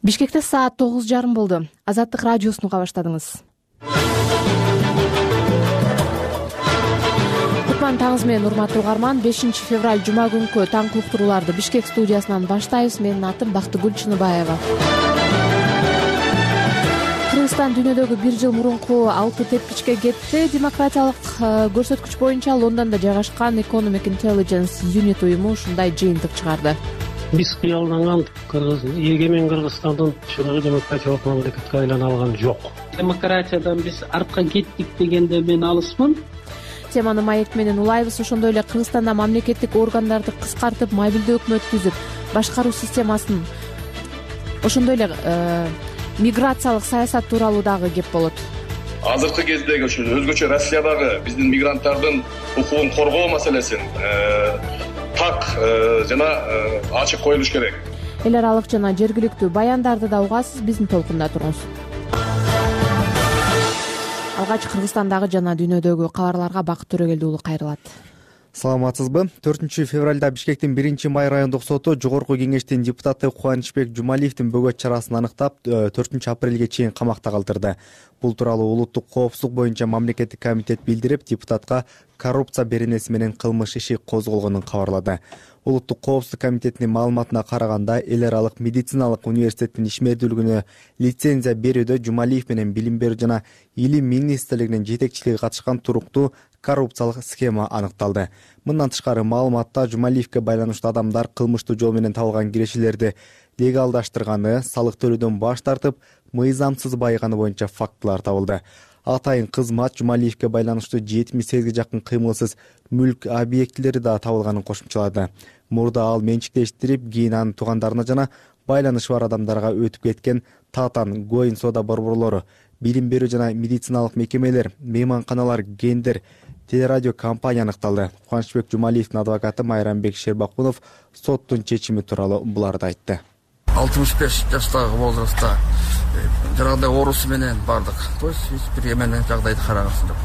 Бишкекте саат 9:30 болду. Азаттык радиосун уга баштадыңыз. Кутман таңыз менен урматтуу угарман. 5 февраль жума күнкү таң уктурууларды Бишкек студиясынан баштайбыз. Менин атым Бактыгүл Чыныбаева. Кыргызстан дүйнөдөгү 1 жыл мурунку алты тепкичке кетти. Демократиялык көрсөткүч боюнча Лондондо жайгашкан Economic Intelligence Unit уюму ушундай жыйынтык чыгарды. Биз кыялданган эгемен Кыргызстандын чыныгы демократиялык мамлекетке айлана алган жок. Демократиядан биз артка кеттик дегенде мен алысмын. Теманы маек менен улайбыз. Ошондой эле Кыргызстанда мамлекеттик органдарды кыскартып, мобилдүү өкмөт түзүп, башкаруу системасын, ошондой эле миграциялык саясат тууралуу дагы кеп болот. Азыркы кездеги ошо өзгөчө Россиядагы биздин мигранттардын укугун коргоо маселесин так жана ачык коюлуш керек. Эл аралык жана жергиликтүү баяндарды да угасыз, биздин толкунда туруңуз. Алгач Кыргызстандагы жана дүйнөдөгү кабарларга Бакыт Төрөгелди уулу кайрылат. Саламатсызбы? 4 февралда Бишкектин 1 май райондук соту Жогорку кеңештин депутаты Кубанычбек Жумалиевдин бөгөт чарасын аныктап, 4 апрелге чейин камакта калтырды. Бул тууралуу улуттук коопсуздук боюнча мамлекеттик комитет билдирип, депутатка коррупция беренеси менен кылмыш иши козголгонун кабарлады. Улуттук коопсуздук комитетинин маалыматына караганда, эл аралык медициналык университеттин ишмердүүлүгүнө лицензия берүүдө Жумалиев менен Билим берүү жана Илим министрлигинин жетекчилиги катышкан туруктуу коррупциялык схема аныкталды. Мындан тышкары маалыматта Жумалиевге байланыштуу адамдар кылмыштуу жол менен табылган кирешелерди легалдаштырганы, салык төлөөдөн баш тартып, мыйзамсыз байыганы боюнча фактылар табылды. Атайын кызмат Жумалиевге байланыштуу 78 жакын кыймылсыз мүлк объектилери да табылганын кошумчалады. Мурда ал менчиктештирип, кийин анын туугандарына жана байланышы бар адамдарга өтүп кеткен Татан, Гоин соода борборлору, Билим берүү жана медициналык мекемелер, мейманканалар, гендер, телерадио компания аныкталды. Кубанычбек Жумалиевдин адвокаты Майрамбек Шербакунов соттун чечими тууралуу буларды айтты. 65 жаштагы возрастта жанагындай оорусу менен бардык. То есть бир эмне жагдайды карагасын деп.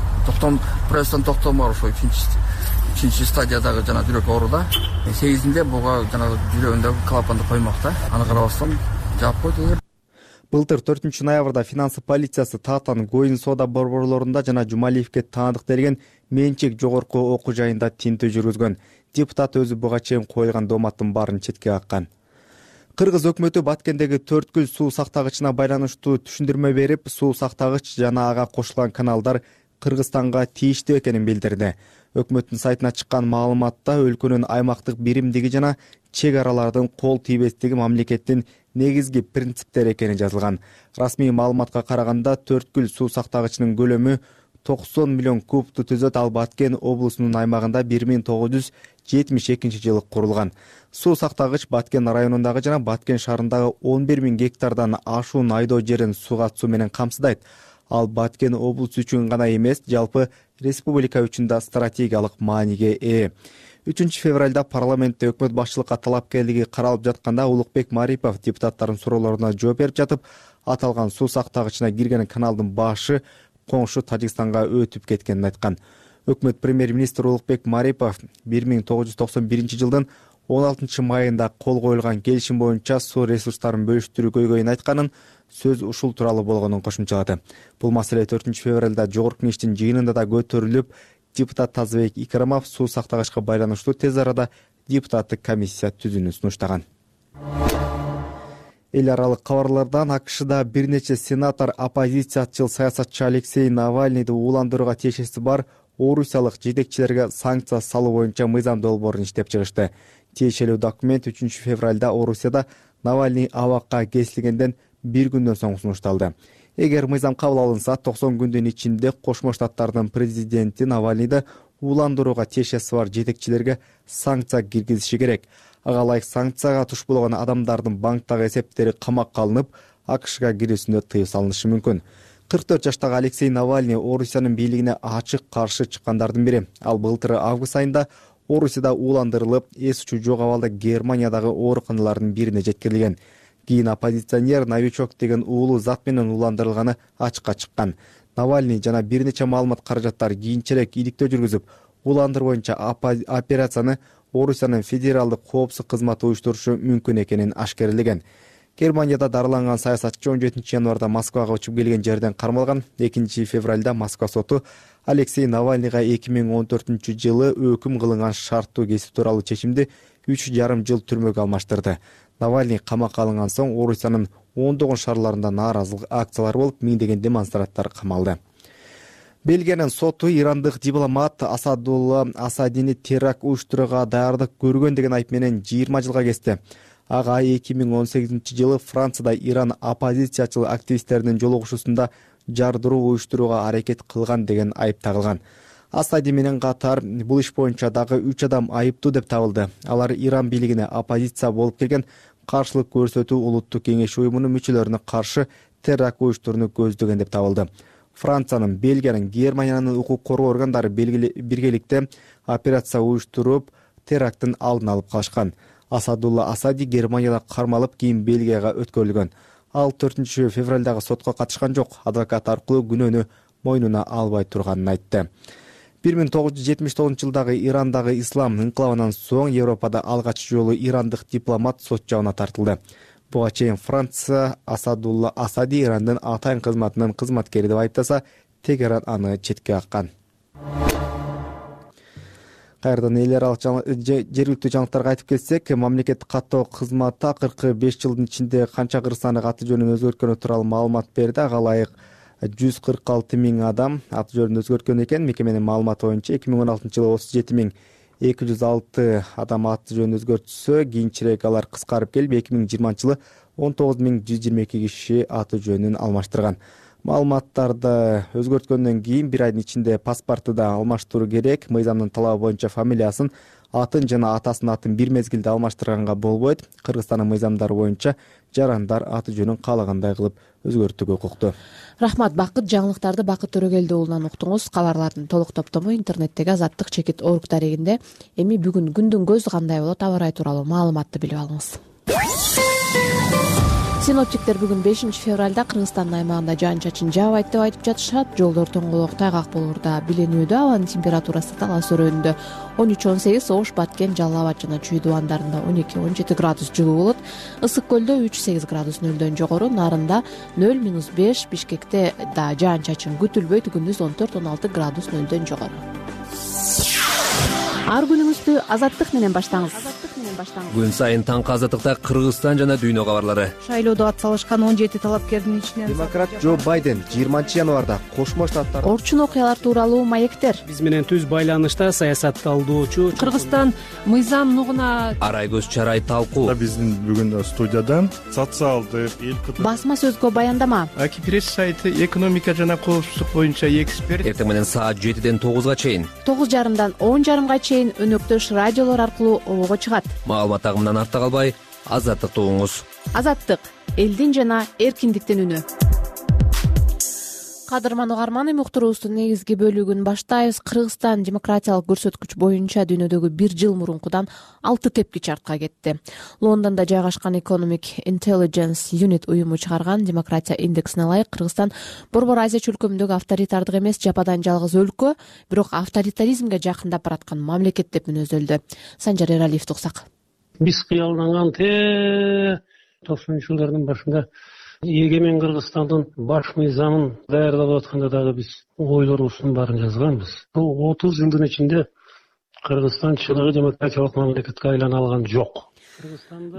Процесстен токтомор ошо 3 стадиядагы жана жүрөк ооруда. 8-inde буга жана жүрөгүндөгү клапанды коймокта. Аны карабастан жаап койду. Былтыр 4 ноябрда финансы полициясы Татан, Гоин соода борборлорунда жана Жумалиевге таандык берген менчик жогорку окуу жайында тинтүү жүргүзгөн. Депутат өзү буга чейин коюлган дооматтын баарын четке каккан. Кыргыз өкмөтү Баткендеги Төрткүл суу сактагычына байланыштуу түшүндүрмө берип, суу сактагыч жана ага кошулган каналдар Кыргызстанга тийиштүү экенин билдирди. Өкмөттүн сайтына чыккан маалыматта өлкөнүн аймактык биримдиги жана чек аралардын кол тийбестиги мамлекеттин негизги принциптери экени жазылган. Расмий маалыматка караганда Төрткүл суу сактагычынын көлөмү 90 миллион кубту түзөт. Ал Баткен облусунун аймагында 1972-жылы курулган. Суу сактагыч Баткен районундагы жана Баткен шаарындагы 11 000 гектардан ашуун айдоо жерин сууга суу менен камсыздайт. Ал Баткен облусу үчүн гана эмес, жалпы республика үчүн да стратегиялык мааниге ээ. 3 февралда парламентте өкмөт башчылыкка талапкерлиги каралып жатканда Улукбек Марипов депутаттардын суроолоруна жооп берип жатып, аталган суу сактагычына кирген каналдын башы коңшу Тажикстанга өтүп кеткенин айткан. Өкмөт премьер-министр Улукбек Марипов 1991-жылдын 16 майында кол коюлган келишим боюнча суу ресурстарын бөлүштүрүү көйгөйүн айтканын, сөз ушул тууралуу болгонун кошумчалады. Бул маселе 4 февралда Жогорку кеңештин жыйынында да көтөрүлүп, депутат Тазыбек Икрамов суу сактагычка байланыштуу тез арада депутаттык комиссия түзүүнү сунуштаган. Эл аралык кабарлардан АКШда бир нече сенатор оппозициячыл саясатчы Алексей Навальныйды ууландырууга тиешеси бар орусиялык жетекчилерге санкция салуу боюнча мыйзам долбоорун иштеп чыгышты. Тиешелүү документ 3 февралда Орусияда Навальный абакка кесилгенден 1 күндөн соң сунушталды. Эгер мыйзам кабыл алынса, 90 күндүн ичинде Кошмо Штаттардын президенти Навальныйды ууландырууга тиешеси бар жетекчилерге санкция киргизиши керек. Ага ылайык санкцияга туш болгон адамдардын банктагы эсептери камакка алынып, АКШга кирүүсүнө тыюу салынышы мүмкүн. 44 жаштагы Алексей Навальный Орусиянын бийлигине ачык каршы чыккандардын бири. Ал былтыр август айында Орусияда ууландырылып, эс учу жок абалда Германиядагы ооруканалардын бирине жеткирилген. Кийин оппозиционер новичок деген уулу зат менен ууландырылганы ачыкка чыккан. Навальный жана бир нече маалымат каражаттар кийинчерээк иликтөө жүргүзүп, уландыруу боюнча операцияны Орусиянын федералдык коопсуздук кызматы уюштурушу мүмкүн экенин ашкерелеген. Германияда дарыланган саясатчы 17 январда Москвага учуп келген жерден кармалган. 2 февралда Москва соту Алексей Навальныйга 2014-жылы өкүм кылынган шарттуу кесип тууралуу чечимди 3,5 жыл түрмөгө алмаштырды. Навальный камакка алынган соң Орусиянын ондогон шаарларында нааразылык акциялары болуп, миңдеген демонстранттар камалды. Бельгиянын соту ирандык дипломат Асадулла Асадини теракт уюштурууга даярдык көргөн деген айып менен 20 жылга кести. Ага 2018-жылы Францияда Иран оппозициячыл активисттеринин жолугушуусунда жардыруу уюштурууга аракет кылган деген айып тагылган. Асади менен катар бул иш боюнча дагы 3 адам айыптуу деп табылды. Алар Иран бийлигине оппозиция болуп келген каршылык көрсөтүү улуттук кеңеш уюмунун мүчөлөрүнө каршы теракт уюштурууну көздөгөн деп табылды. Франциянын, Бельгиянын, Германиянын укук коргоо органдары биргеликте операция уюштуруп, теракттын алдын алып калышкан. Асадулла Асади Германияда кармалып, кийин Бельгияга өткөрүлгөн. Ал 4 февралдагы сотко катышкан жок. Адвокат аркылуу күнөөнү мойнуна албай турганын айтты. 1979-жылдагы Ирандагы ислам инкылабынан соң Европада алгач жолу ирандык дипломат сот жабына тартылды. Буга чейин Франция Асадулла Асади Ирандын атайын кызматынын кызматкери деп айыптаса, Тегеран аны четке каккан. Кайрадан эл аралык жергиликтүү жаңылыктарга айтып келсек, мамлекет каттоо кызматы акыркы 5 жылдын ичинде канча кыргызстандык аты жөнүн өзгөрткөнү тууралуу маалымат берди. Ага ылайык 146 000 адам аты жөнүн өзгөрткөн экен. Мекеменин маалыматы боюнча 2016-жылы 37 206 адам аты жөнүн өзгөртсө, кийинчерээк алар кыскарып келип 2020-жылы 19 122 киши аты жөнүн алмаштырган. Маалыматтарды өзгөрткөндөн кийин 1 айдын ичинде паспорту да алмаштыруу керек. Мыйзамдын талабы боюнча фамилиясын, атын жана атасынын атын бир мезгилде алмаштырганга болбойт. Кыргызстандын мыйзамдары боюнча жарандар аты жөнүн каалагандай кылып өзгөртүүгө укуктуу. Рахмат, Бакыт. Жаңылыктарды Бакыт Төрөгелди уулунан уктуңуз. Кабарлардын толук топтому интернеттеги Азаттык-org дарегинде. Эми бүгүн күндүн көзү кандай болот, аба ырайы тууралуу маалыматты билип алыңыз. Синоптиктер бүгүн 5 февралда Кыргызстандын аймагында жаан-чачын жаабайт деп айтып жатышат. Жолдор тоңголок, тайгак болоор да билинүүдө. Абанын температурасы дала сөрөөнүндө 13-18, Ош, Баткен, Жалал Абад жана Чүй дубандарында 12-17 градус жылуу болот. Ысык көлдө 3-8 градус нөлдөн жогору, Нарында 0-5, Бишкекте да жаан-чачын күтүлбөйт, күндүз 14-16 градус нөлдөн жогору. Ар күнүңүздү Азаттык менен баштаңыз. Күн сайын таңкы Азаттыкта Кыргызстан жана дүйнө кабарлары. Шайлоодо атсалышкан 17 талапкердин ичинен Демократ Джо Байден 20 январда Кошмо Штаттарда Орчун окуялар тууралуу маектер. Биз менен түз байланышта саясат талдоочу Кыргызстан мыйзам нугуна Арай көз чарай талкуу. Биздин бүгүн студиядан социалдык Басма сөзгө баяндама. Акипресс сайты экономика жана коопсуздук боюнча эксперт. Эртең менен саат 7-ден 9-га чейин, 9:30-дан 10:30-га чейин өнөктөш радиолор аркылуу обого чыгат. маалымат агымынан артта калбай, Азаттыкты угуңуз. Азаттык — элдин жана эркиндиктин үнү. Кадырман угарман, эми уктуруубуздун негизги бөлүгүн баштайбыз. Кыргызстан демократиялык көрсөткүч боюнча дүйнөдөгү 1 жыл мурункудан 6 тепкич артка кетти. Лондондо жайгашкан Economic Intelligence Unit уюму чыгарган демократия индексине ылайык Кыргызстан Борбор Азия чөлкөмүндөгү авторитардык эмес, жападан жалгыз өлкө, бирок авторитаризмге жакындап бараткан мамлекет деп мүнөздөлдү. Санжар Эралиевди уксак. Биз кыялданган 90-жылдардын башында эгемен Кыргызстандын баш мыйзамын даярдап атканда дагы биз ойлорубуздун баарын жазганбыз. Бул 30 жылдын ичинде Кыргызстан чыныгы демократиялык мамлекетке айлана алган жок.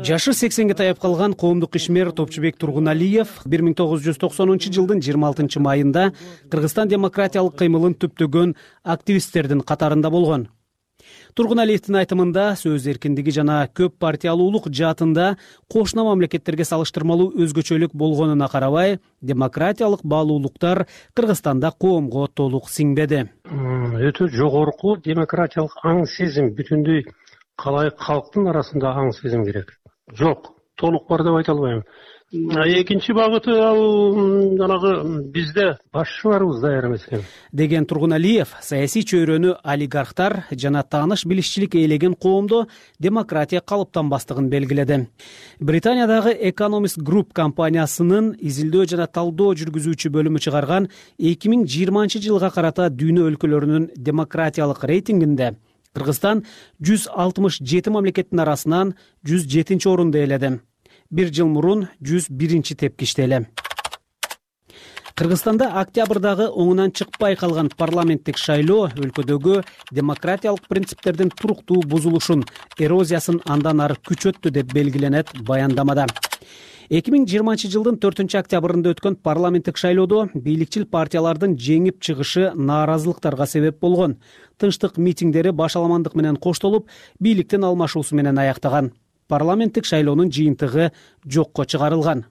Жашы 80-ге таяп калган коомдук ишмер Топчубек Тургуналиев 1990-жылдын 26 майында Кыргызстан демократиялык кыймылын түптөгөн активисттердин катарында болгон. Тургуналиевдин айтымында сөз эркиндиги жана көп партиялуулук жаатында кошуна мамлекеттерге салыштырмалуу өзгөчөлүк болгонуна карабай, демократиялык баалуулуктар Кыргызстанда коомго толук сиңбеди. Өтө жогорку демократиялык аң сезим, бүтүндөй калайык калктын арасында аң сезим керек. Жок, толук бар деп айта албайм. Экинчи багыты ал жанагы бизде башчыларыбыз даяр эмес экен деген Тургуналиев саясий чөйрөнү олигархтар жана тааныш билишчилик ээлеген коомдо демократия калыптанбастыгын белгиледи. Британиядагы Economist Group компаниясынын изилдөө жана талдоо жүргүзүүчү бөлүмү чыгарган 2020-жылга карата дүйнө өлкөлөрүнүн демократиялык рейтингинде Кыргызстан 167 мамлекеттин арасынан 107-орунду ээледи. бир жыл мурун 101 тепкичте эле. Кыргызстанда октябрдагы оңунан чыкпай калган парламенттик шайлоо өлкөдөгү демократиялык принциптердин туруктуу бузулушун, эрозиясын андан ары күчөттү деп белгиленет баяндамада. 2020 жылдын 4 октябрында өткөн парламенттик шайлоодо бийликчил партиялардын жеңип чыгышы нааразылыктарга себеп болгон. Тынчтык митингдери башаламандык менен коштолуп, бийликтин алмашуусу менен аяктаган. Парламенттик шайлоонун жыйынтыгы жокко чыгарылган.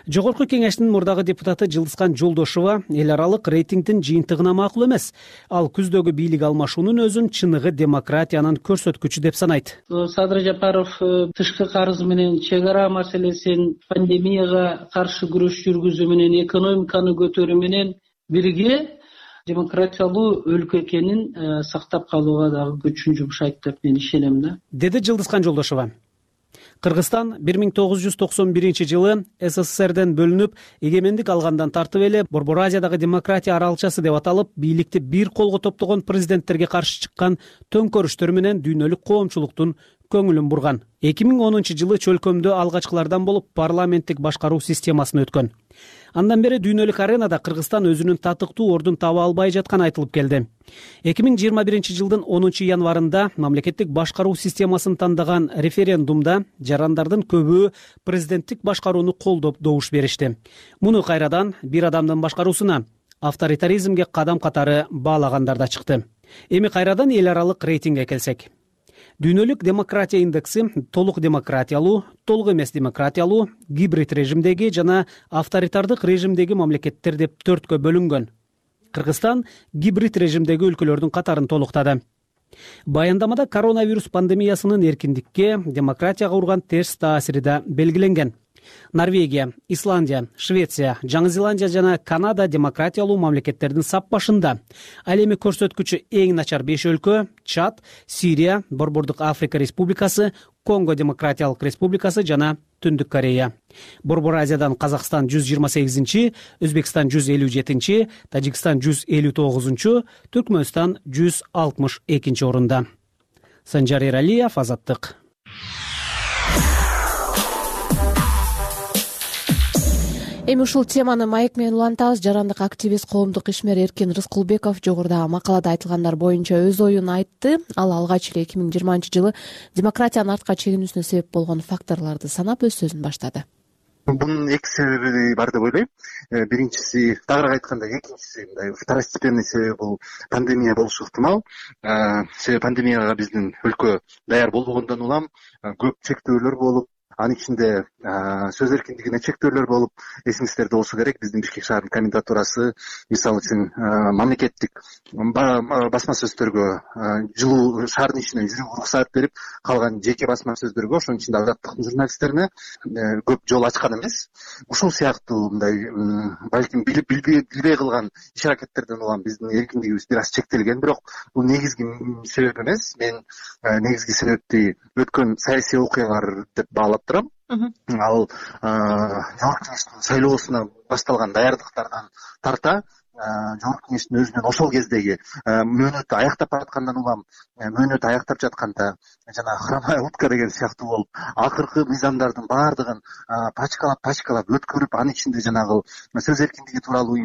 Жогорку кеңештин мурдагы депутаты Жылдызкан Жолдошова эл аралык рейтингдин жыйынтыгына макул эмес. Ал күздөгү бийлик алмашуунун өзүн чыныгы демократиянын көрсөткүчү деп санайт. Садыр Жапаров тышкы карыз менен чек ара маселесин, пандемияга каршы күрөш жүргүзүү менен, экономиканы көтөрүү менен бирге демократиялуу өлкө экенин сактап калууга дагы күчүн жумшайт деп мен ишенем да, деди Жылдызкан Жолдошова. Кыргызстан 1991 жылы СССРден бөлүнүп, эгемендик алгандан тартып эле Борбор Азиядагы демократия аралчасы деп аталып, бийликти бир колго топтогон президенттерге каршы чыккан төңкөрүштөр менен дүйнөлүк коомчулуктун көңүлүн бурган. 2010 жылы чөлкөмдө алгачкылардан болуп парламенттик башкаруу системасына өткөн. Андан бери дүйнөлүк аренада Кыргызстан өзүнүн татыктуу ордун таба албай жатканы айтылып келди. 2021 жылдын 10 январында мамлекеттик башкаруу системасын тандаган референдумда жарандардын көбү президенттик башкарууну колдоп добуш беришти. Муну кайрадан бир адамдын башкаруусуна, авторитаризмге кадам катары баалагандар да чыкты. Эми кайрадан эл аралык рейтингге келсек. Дүйнөлүк демократия индекси толук демократиялуу, толук эмес демократиялуу, гибрид режимдеги жана авторитардык режимдеги мамлекеттер деп 4кө бөлүнгөн. Кыргызстан гибрид режимдеги өлкөлөрдүн катарын толуктады. Баяндамада коронавирус пандемиясынын эркиндикке, демократияга урган терс таасири да белгиленген. Норвегия, Исландия, Швеция, Жаңы Зеландия жана Канада демократиялуу мамлекеттердин сап башында. Ал эми көрсөткүчү эң начар 5 өлкө: Чад, Сирия, Борбордук Африка Республикасы, Конго Демократиялык Республикасы жана Түндүк Корея. Борбор Азиядан Казакстан 128-чи, Өзбекстан 157-чи, Тажикстан 159-чу, Түркмөнстан 162-чи орунда. Санжар Эралиев, Азаттык. Эми ушул теманы маек менен улантабыз. Жарандык активист, коомдук ишмер Эркин Рыскулбеков жогорудагы макалада айтылгандар боюнча өз оюн айтты. Ал алгач эле 2020 жылы демократиянын артка чегинүүсүнө себеп болгон факторлорду санап өз сөзүн баштады. Бунун эки себеби бар деп ойлойм. Биринчиси, тагыраак айтканда, экинчиси мындай второстепенный себеби бул пандемия болушу ыктымал. Себеби пандемияга биздин өлкө даяр болбогондон улам көп чектөөлөр болуп, анын ичинде сөз эркиндигине чектөөлөр болуп, эсиңиздерде болсо керек, биздин Бишкек шаарынын комендатурасы мисалы үчүн мамлекеттик басма сөздөргө жылуу шаардын ичинен жүрүүгө уруксаат берип, калган жеке басма сөздөргө, ошонун ичинде азаттыктын журналисттерине көп жол ачкан эмес. Ушул сыяктуу мындай балким билбей кылган иш аракеттерден улам биздин эркиндигибиз бир аз чектелген, бирок бул негизги себеп эмес. Мен негизги себепти өткөн саясий окуялар деп баалап турам. Ал жогорку кеңештин шайлоосуна башталган даярдыктардан тарта жогорку кеңештин өзүнүн ошол кездеги мөөнөтү аяктап бараткандан улам, мөөнөтү аяктап жатканда жана хромая утка деген сыяктуу болуп, акыркы мыйзамдардын баардыгын пачкалап өткөрүп, анын ичинде жанагы сөз эркиндиги тууралуу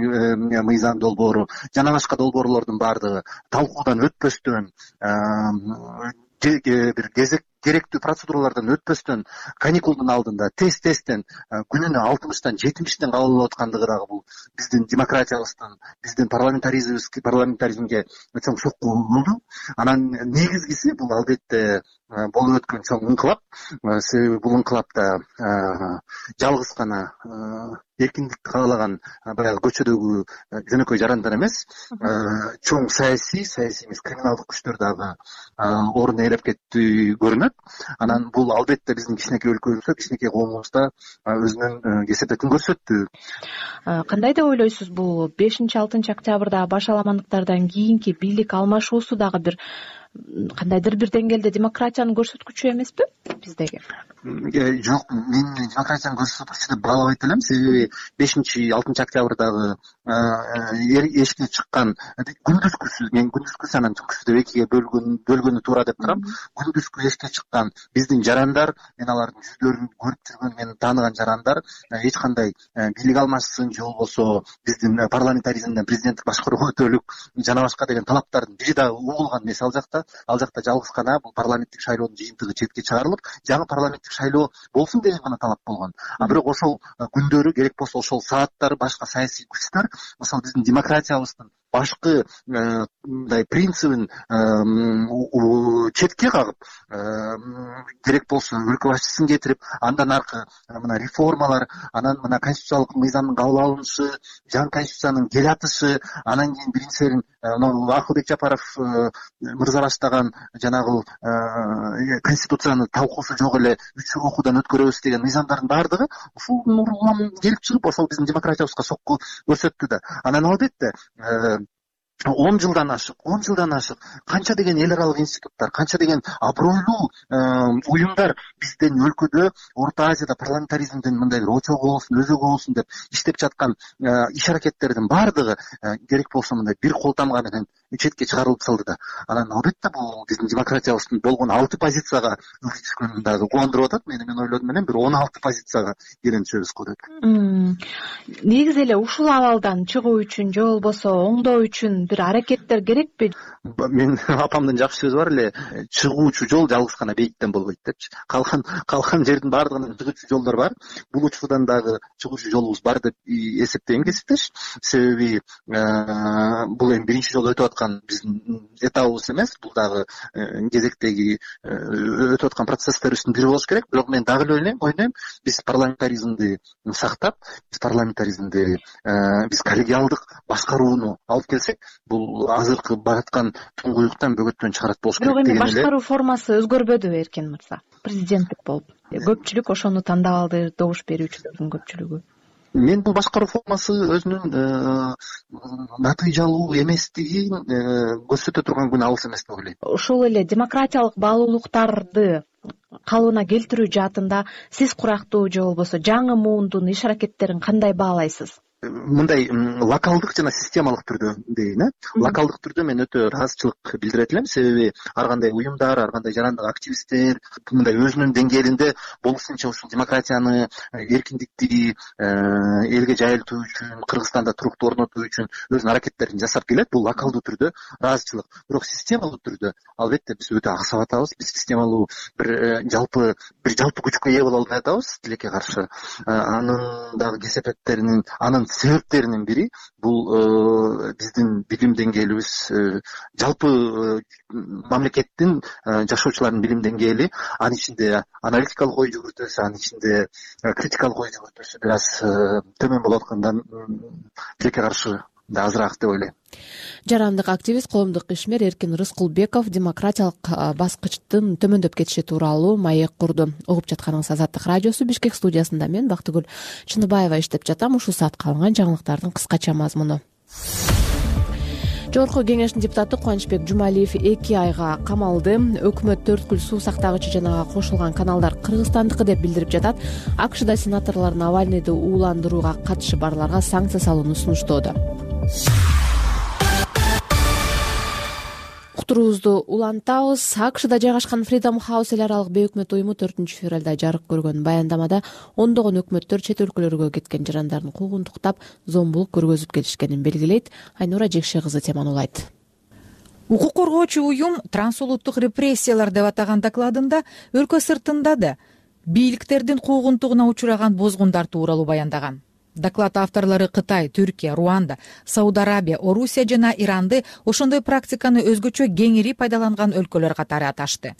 мыйзам долбоору жана башка долбоорлордун баардыгы талкуудан өтпөстөн, бир керектүү процедуралардан өтпөстөн, каникулдун алдында тесттен күнүнө 60-тан 70-тен кабыл алып аткандыгы дагы бул биздин демократиябыздын, биздин парламентаризмге чоң сокку болду. Анан негизгиси бул албетте болуп өткөн чоң ыңкылап. Себеби бул ыңкылапта жалгыз гана эркиндикти каалаган баягы көчөдөгү жөнөкөй жарандар эмес, чоң саясий эмес криминалдык күчтөр дагы орун ээлеп кетти көрүнөт. Анан бул албетте биздин кичинекей өлкөбүздө, кичинекей коомубузда өзүнүн кесепетин көрсөттү. Кандай деп ойлойсуз, бул 5-6 октябрда башаламандыктардан кийинки бийлик алмашуусу дагы бир кандайдыр бир деңгээлде демократиянын көрсөткүчү эмеспи биздеги? Жок, мен демократиянын көрсөткүчү деп баалабайт элем. Себеби 5-6 октябрдагы эшикке чыккан күндүзгүсү, мен күндүзгүсү анан түнкүсү деп экиге бөлгөнү туура деп турам. Күндүзгү эшикке чыккан биздин жарандар, мен алардын жүздөрүн көрүп жүргөн, мен тааныган жарандар эч кандай бийлик алмашсын же болбосо биздин парламентаризмден президенттик башкаруу өтөлүк жана башка деген талаптардын бири дагы угулган эмес ал жакта. Ал жакта жалгыз гана бул парламенттик шайлоонун жыйынтыгы четке чыгарылып, жаңы парламенттик шайлоо болсун деген гана талап болгон. А бирок ошол күндөрү, керек болсо ошол сааттар башка саясий күчтөр ошол биздин демократиябыздын башкы мындай принцибин четке кагып, керек болсо өлкө башчысын кетирип, андан аркы мына реформалар, анан мына конституциялык мыйзамдын кабыл алынышы, жаңы конституциянын келатышы, анан кийин биринчиден Акылбек Жапаров мырза баштаган жанагы конституцияны талкуусу жок эле 3 окуудан өткөрөбүз деген мыйзамдардын баардыгы ушул улам келип чыгып, ошол биздин демократиябызга сокку көрсөттү да. Анан албетте 10 жылдан ашык канча деген эл аралык институттар, канча деген абройлуу уюмдар биздин өлкөдө, Орто Азияда парламентаризмдин мындай бир очогу болсун, өзөгү болсун деп иштеп жаткан иш аракеттердин баардыгы керек болсо мындай бир кол тамга менен четке чыгарылып салды да. Анан албетте бул биздин демократиябыздын болгон 6 позицияга өтүшкөнүн дагы кубандырып атат. Мен ойлодум менен бир 16 позицияга келен түшөбүз го деп. Негизи эле ушул абалдан чыгуу үчүн же болбосо оңдоо үчүн бир аракеттер керекпи? Мен апамдын жакшы сөзү бар эле, чыгуучу жол жалгыз гана бейиттен болбойт депчи. Калган жердин баардыгынан чыгуучу жолдор бар. Бул учурдан дагы чыгуучу жолубуз бар деп эсептейм, кесиптеш. Себеби бул эми биринчи жолу өтүп аткан биздин этабыбыз эмес, бул дагы кезектеги өтүп аткан процесстерибиздин бири болуш керек. Бирок мен дагы эле ойлойм, биз парламентаризмди сактап, биз коллегиалдык башкарууну алып келсек, бул азыркы бараткан туңгуюктан бөгөттөн чыгарат болуш керек деген эле. Бирок эми башкаруу формасы өзгөрбөдүбү Эркин мырза? Президенттик болуп, көпчүлүк ошону тандап алды, добуш берүүчүлөрдүн көпчүлүгү. Мен бул башкаруу формасы өзүнүн натыйжалуу эместигин көрсөтө турган күн алыс эмес деп ойлойм. Ошол эле демократиялык баалуулуктарды калыбына келтирүү жаатында сиз курактуу же болбосо жаңы муундун иш аракеттерин кандай баалайсыз? Мындай локалдык жана системалык түрдө дейин, локалдык түрдө мен өтө ыраазычылык билдирет элем. Себеби ар кандай уюмдар, ар кандай жарандык активисттер мындай өзүнүн деңгээлинде болушунча ушул демократияны, эркиндикти элге жайылтуу үчүн, Кыргызстанда туруктуу орнотуу үчүн өзүнүн аракеттерин жасап келет. Бул локалдуу түрдө ыраазычылык. Бирок системалуу түрдө албетте биз өтө аксап атабыз. Биз системалуу бир жалпы күчкө ээ боло албай атабыз тилекке каршы. Анын дагы кесепеттеринин, анын себептеринин бири бул биздин билим деңгээлибиз, жалпы мамлекеттин жашоочулардын билим деңгээли, анын ичинде аналитикалык ой жүгүртүүсү, анын ичинде критикалык ой жүгүртүүсү бир аз төмөн болуп аткандан тилекке каршы азыраак деп ойлойм. Жарандык активист, коомдук ишмер Эркин Рыскулбеков демократиялык баскычтын төмөндөп кетиши тууралуу маек курду. Угуп жатканыңыз Азаттык радиосу. Бишкек студиясында мен Бактыгүл Чыныбаева иштеп жатам. Ушул саатка алынган жаңылыктардын кыскача мазмуну. Жогорку кеңештин депутаты Кубанычбек Жумалиев 2 айга камалды. Өкмөт төрткүл суу сактагычы жанага кошулган каналдар Кыргызстандыкы деп билдирип жатат. АКШда сенаторлор Навальныйды ууландырууга катышы барларга санкция салууну сунуштоодо. Уктуруубузду улантабыз. АКШда жайгашкан Freedom House эл аралык бейөкмөт уюму 4 февралда жарык көргөн баяндамада ондогон өкмөттөр чет өлкөлөргө кеткен жарандардын укугун туктап, зомбулук көргөзүп келишкенин белгилейт. Айнура Жекше кызы теманы улайт. Укук коргоочу уюм трансулуттук репрессиялар деп атаган докладында өлкө сыртында да бийликтердин куугунтугуна учураган бозгундар тууралуу баяндаган. Доклад авторлору Кытай, Түркия, Руанда, Сауд Арабия, Орусия жана Иранды ошондой практиканы өзгөчө кеңири пайдаланган өлкөлөр катары аташты.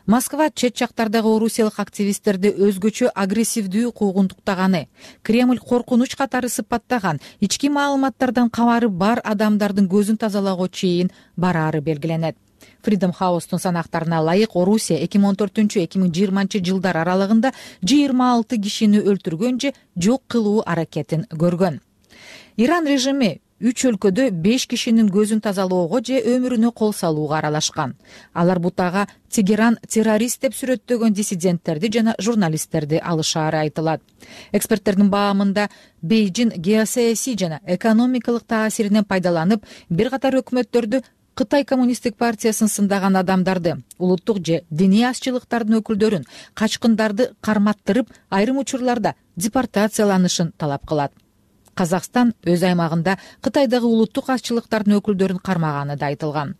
Москва чет жактардагы орусиялык активисттерди өзгөчө агрессивдүү куугунтуктаганы, Кремль коркунуч катары сыпаттаган, ички маалыматтардан кабары бар адамдардын көзүн тазалагуу чейин бараары белгиленет. Freedom House'тун санактарына ылайык Орусия 2014-2020 жылдар аралыгында 26 кишини өлтүргөн же жок кылуу аракетин көргөн. Иран режими 3 өлкөдө 5 кишинин көзүн тазалоого же өмүрүнө кол салууга аралашкан. Алар бутага Тегеран террорист деп сүрөттөгөн диссиденттерди жана журналисттерди алышаары айтылат. Эксперттердин баамында Бейжин геосаясий жана экономикалык таасиринен пайдаланып, бир катар өкмөттөрдү Кытай коммунисттик партиясын сындаган адамдарды, улуттук же диний азчылыктардын өкүлдөрүн, качкындарды карматтырып, айрым учурларда депортацияланышын талап кылат. Казакстан өз аймагында Кытайдагы улуттук азчылыктардын өкүлдөрүн кармаганы да айтылган.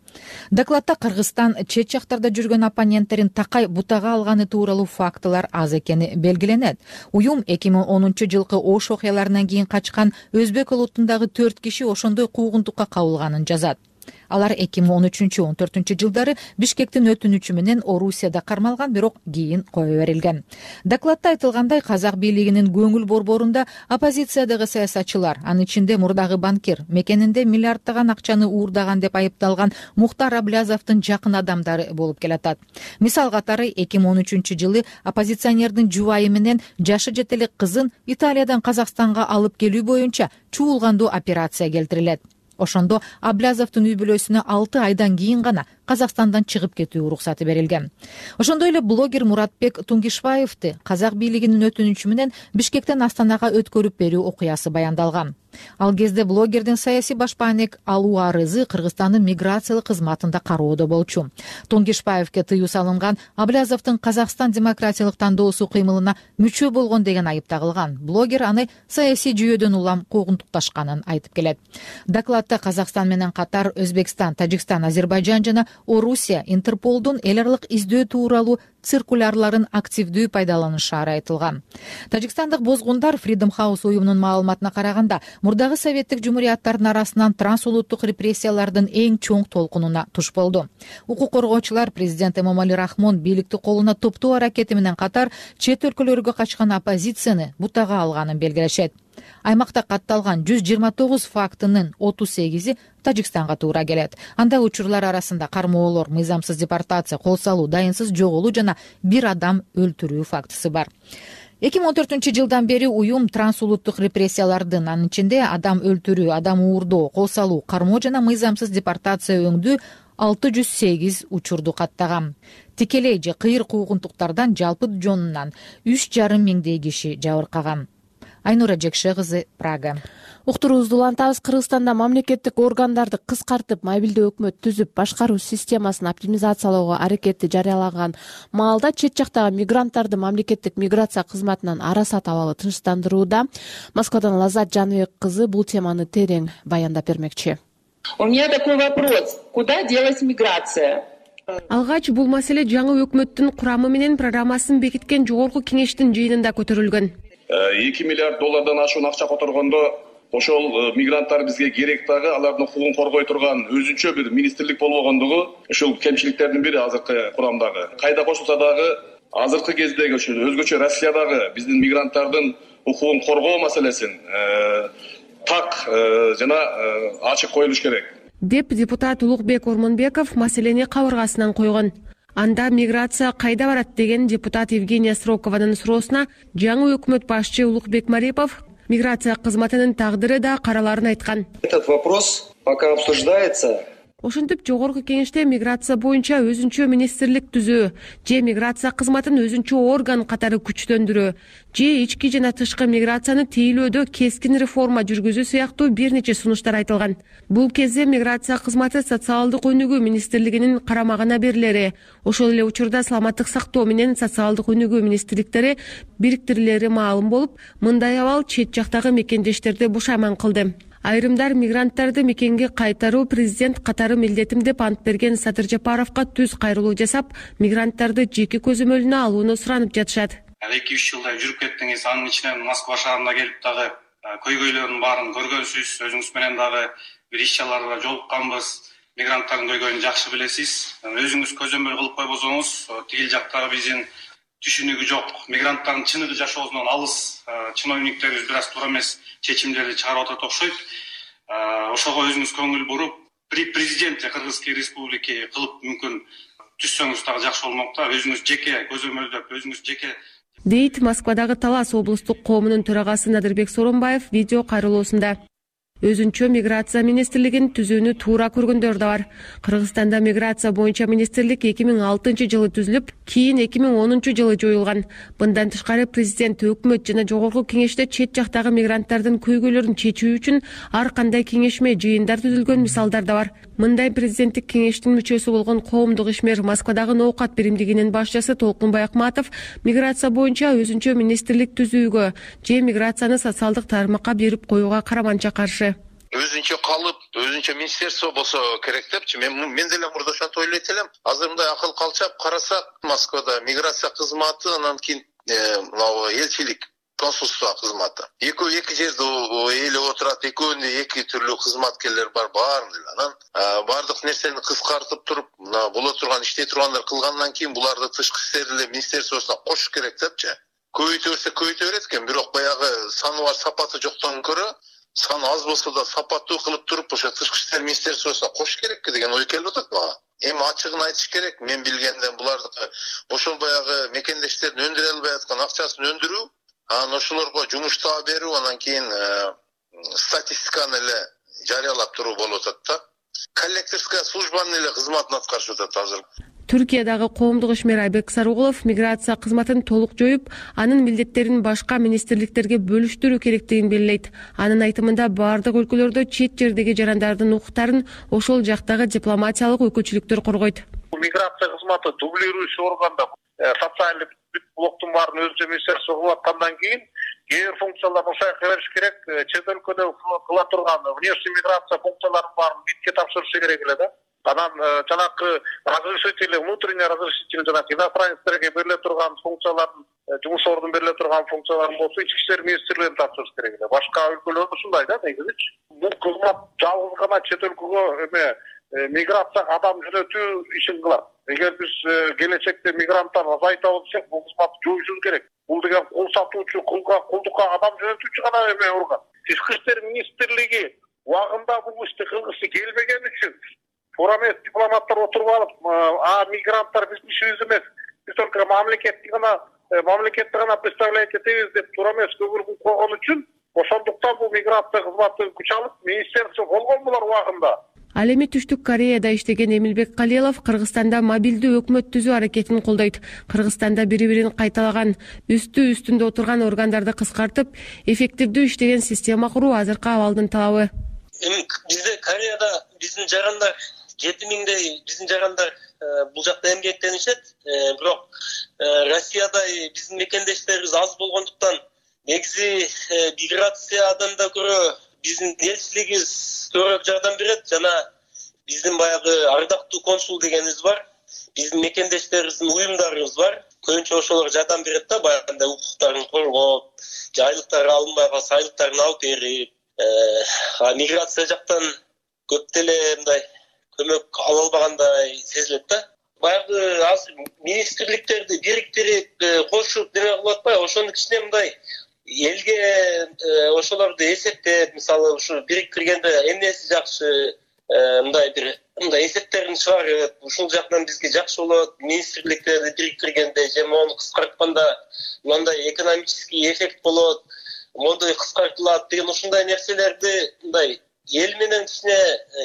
Докладта Кыргызстан чет жактарда жүргөн оппоненттерин такай бутага алганы тууралуу фактылар аз экени белгиленет. Уюм 2010-жылкы Ош окуяларынан кийин качкан өзбек улутундагы 4 киши ошондой куугунтукка кабылганын жазат. Алар 2013-14 жылдары Бишкектин өтүнүчү менен Орусияда кармалган, бирок кийин кое берилген. Докладта айтылгандай, казак бийлигинин көңүл борборунда оппозициядагы саясатчылар, анын ичинде мурдагы банкир, мекенинде миллиарддаган акчаны уурдаган деп айыпталган Мухтар Аблязовдун жакын адамдары болуп келатат. Мисал катары 2013-жылы оппозиционердин жубайы менен жашы жете элек кызын Италиядан Казакстанга алып келүү боюнча чуулгандуу операция келтирилет. Ошондо Аблязовдун үй бүлөсүнө 6 айдан кийин гана Казакстандан чыгып кетүү уруксаты берилген. Ошондой эле блогер Муратбек Тунгишбаевди казак бийлигинин өтүнүчү менен Бишкектен Астанага өткөрүп берүү окуясы баяндалган. Ал кезде блогердин саясий башпаанек алуу арызы Кыргызстандын миграциялык кызматында кароодо болчу. Тунгишбаевге тыюу салынган, Аблязовдун Казакстан демократиялык тандоосу кыймылына мүчө болгон деген айып тагылган. Блогер аны саясий жүйөдөн улам куугунтукташканын айтып келет. Докладта Казакстан менен катар Өзбекстан, Тажикстан, Азербайжан жана Орусия Интерполдун эл аралык издөө тууралуу циркулярларын активдүү пайдаланышаары айтылган. Тажикстандык бозгундар Freedom House уюмунун маалыматына караганда, мурдагы советтик жумурияттардын арасынан трансулуттук репрессиялардын эң чоң толкунуна туш болду. Укук коргоочулар президент Эмомали Рахмон бийликти колуна топтоо аракети менен катар чет өлкөлөргө качкан оппозицияны бутага алганын белгилешет. Аймакта катталган 129 фактынын 38-и Тажикстанга туура келет. Анда учурлар арасында кармоолор, мыйзамсыз депортация, кол салуу, дайынсыз жоголуу жана бир адам өлтүрүү фактысы бар. 2014-жылдан бери уюм трансулуттук репрессиялардын, анын ичинде адам өлтүрүү, адам уурдоо, кол салуу, кармоо жана мыйзамсыз депортация өңдүү 608 учурду каттаган. Тикелей же кыйыр куугунтуктардан жалпы жонунан 3,5 миңдей киши жабыркаган. Айнура Жекше кызы, Прага. Уктуруубузду улантабыз. Кыргызстанда мамлекеттик органдарды кыскартып, мобилдүү өкмөт түзүп, башкаруу системасын оптимизациялоого аракети жарыялаган маалда чет жактагы мигранттарды мамлекеттик миграция кызматынан арасат абалы тынчтандырууда. Москвадан Лазат Жаныбек кызы бул теманы терең баяндап бермекчи. У меня такой вопрос. Куда делась миграция? Алгач бул маселе жаңы өкмөттүн курамы менен программасын бекиткен жогорку кеңештин жыйынында көтөрүлгөн. 2 миллиард доллардан ашуун акча которгондо ошол мигранттар бизге керек дагы, алардын укугун коргой турган өзүнчө бир министрлик болбогондугу ушул кемчиликтердин бири азыркы курамдагы. Кайда кошулса дагы азыркы кездеги ошо өзгөчө Россиядагы биздин мигранттардын укугун коргоо маселесин так жана ачык коюлуш керек деп депутат Улукбек Ормонбеков маселени кабыргасынан койгон. Анда миграция кайда барат деген депутат Евгения Срокованын суроосуна жаңы өкмөт башчы Улукбек Марипов миграция кызматынын тагдыры да караларын айткан. Этот вопрос пока обсуждается. Ошентип жогорку кеңеште миграция боюнча өзүнчө министрлик түзүү же миграция кызматын өзүнчө орган катары күчтөндүрүү же ички жана тышкы миграцияны тейлөөдө кескин реформа жүргүзүү сыяктуу бир нече сунуштар айтылган. Бул кезде миграция кызматы социалдык өнүгүү министрлигинин карамагына берилери, ошол эле учурда саламаттык сактоо менен социалдык өнүгүү министрликтери бириктирилери маалым болуп, мындай абал чет жактагы мекендештерди бушайман кылды. Айрымдар мигранттарды мекенге кайтаруу президент катары милдетим деп ант берген Садыр Жапаровго түз кайрылуу жасап, мигранттарды жеке көзөмөлүнө алууну суранып жатышат. 2-3 жылдай жүрүп кеттиңиз, анын ичинен Москва шаарына келип дагы көйгөйлөрдүн баарын көргөнсүз, өзүңүз менен дагы бир иш-чараларда жолукканбыз. Мигранттардын көйгөйүн жакшы билесиз. Өзүңүз көзөмөл кылып койбосоңуз, тигил жактагы биздин түшүнүгү жок, мигранттардын чыныгы жашоосунан алыс чиновниктерибиз бир аз туура эмес чечимдерди чыгарып атат окшойт. Ошого өзүңүз көңүл буруп, президент Кыргызской республики кылып мүмкүн түшсөңүз дагы жакшы болмок да, өзүңүз жеке көзөмөлдөп, өзүңүз жеке дейт Москвадагы Талас облустук коомунун төрагасы Надырбек Соронбаев видео кайрылуусунда. өзүнчө миграция министрлигин түзүүнү туура көргөндөр да бар. Кыргызстанда миграция боюнча министрлик 2006-жылы түзүлүп, кийин 2010-жылы жоюлган. Мындан тышкары президент, өкмөт жана жогорку кеңеште чет жактагы мигранттардын көйгөйлөрүн чечүү үчүн ар кандай кеңешме, жыйындар түзүлгөн мисалдар да бар. Мындай президенттик кеңештин мүчөсү болгон коомдук ишмер Москвадагы ноокат биримдигинин башчысы Толкунбай Акматов миграция боюнча өзүнчө министрлик түзүүгө же миграцияны социалдык тармакка берип коюуга караманча каршы. Өзүнчө калып, өзүнчө министерство болсо керек депчи. Мен деле мурда ошентип ойлойт элем. Азыр мындай акыл калчап карасак, Москвада миграция кызматы, анан кийин элчилик, консулство кызматы. Эки жерде ээлеп отурат, экөөнүндө эки түрлүү кызматкерлер бар, баарын эле. Анан бардык нерсени кыскартып туруп, мына боло турган, иштей тургандар кылгандан кийин буларды тышкы иштер министерствосуна кошуш керек депчи. Көбөйтө берсе көбөйтө берет экен, бирок баягы саны бар, сапаты жоктон көрө саны аз болсо да сапаттуу кылып туруп, ошо тышкы иштер министерствосуна кошуш керекпи деген ой келип атат мага. Эми ачыгын айтыш керек, мен билгенден булардыкы ошол баягы мекендештердин өндүрө албай аткан акчасын өндүрүү, анан ошолорго жумуш таап берүү, анан кийин статистиканы эле жарыялап туруу болуп атат да. Коллекторская службанын эле кызматын аткарышып атат азыр. Түркиядагы коомдук ишмер Айбек Сарыгулов миграция кызматын толук жоюп, анын милдеттерин башка министрликтерге бөлүштүрүү керектигин белгилейт. Анын айтымында бардык өлкөлөрдө чет жердеги жарандардын укуктарын ошол жактагы дипломатиялык өкүлчүлүктөр коргойт. Миграция кызматы дублирующий органда социалдык блоктун баарын өзүнчө министерство кылып аткандан кийин кээ бир функцияларды ошояка бериш керек. Чет өлкөдө кыла турган внешний миграция функцияларын баарын битке тапшырышы керек эле да. Анан жанакы разрешительный, внутренний разрешительный жанакы иностранецтерге бериле турган функциялардын, жумуш ордун бериле турган функцияларын болсо ички иштер министрлигине тапшырыш керек эле. Башка өлкөлөрдө ушундай да негизичи. Бул кызмат жалгыз гана чет өлкөгө миграцияга адам жөнөтүү ишин кылат. Эгер биз келечекте мигранттар азайтабыз десек, бул кызматты жоюшубуз керек. Бул деген кул сатуучу, кулдукка адам жөнөтүүчү гана орган. Тышкы иштер министрлиги убагында бул ишти кылгысы келбеген үчүн туура эмес дипломаттар отуруп алып, мигранттар биздин ишибиз эмес, биз только мамлекетти гана представлять этебиз деп туура эмес көңүл койгон үчүн, ошондуктан бул миграция кызматы күч алып, министерство болгон булар убагында. Ал эми Түштүк Кореяда иштеген Эмилбек Калилов Кыргызстанда мобилдүү өкмөт түзүү аракетин колдойт. Кыргызстанда бири-бирин кайталаган, үстүндө отурган органдарды кыскартып, эффективдүү иштеген система куруу азыркы абалдын талабы. Эми бизде Кореяда биздин жарандар 7000дей биздин жарандар бул жакта эмгектенишет. Бирок Россияда биздин мекендештерибиз аз болгондуктан негизи миграциядан да көрө биздин элчилигибиз көбүрөөк жардам берет. Жана биздин баягы ардактуу консул дегенибиз бар. Биздин мекендештерибиздин уюмдарыбыз бар. Көбүнчө ошолор жардам берет да, баягындай укуктарын коргоп, айлыктары алынбай калса айлыктарын алып берип, миграция жактан көп деле мындай көмөк ала албагандай сезилет да. Баягы азыр министрликтерди бириктирип кошуп неме кылып атпайбы? Ошонун кичине мындай элге ошолорду эсептеп, мисалы ушу бириктиргенде эмнеси жакшы, мындай бир мындай эсептерин чыгарып, ушул жактан бизге жакшы болот, министрликтерди бириктиргенде же мону кыскартканда мындай экономический эффект болот, мондой кыскартылат деген ушундай нерселерди мындай эл менен кичине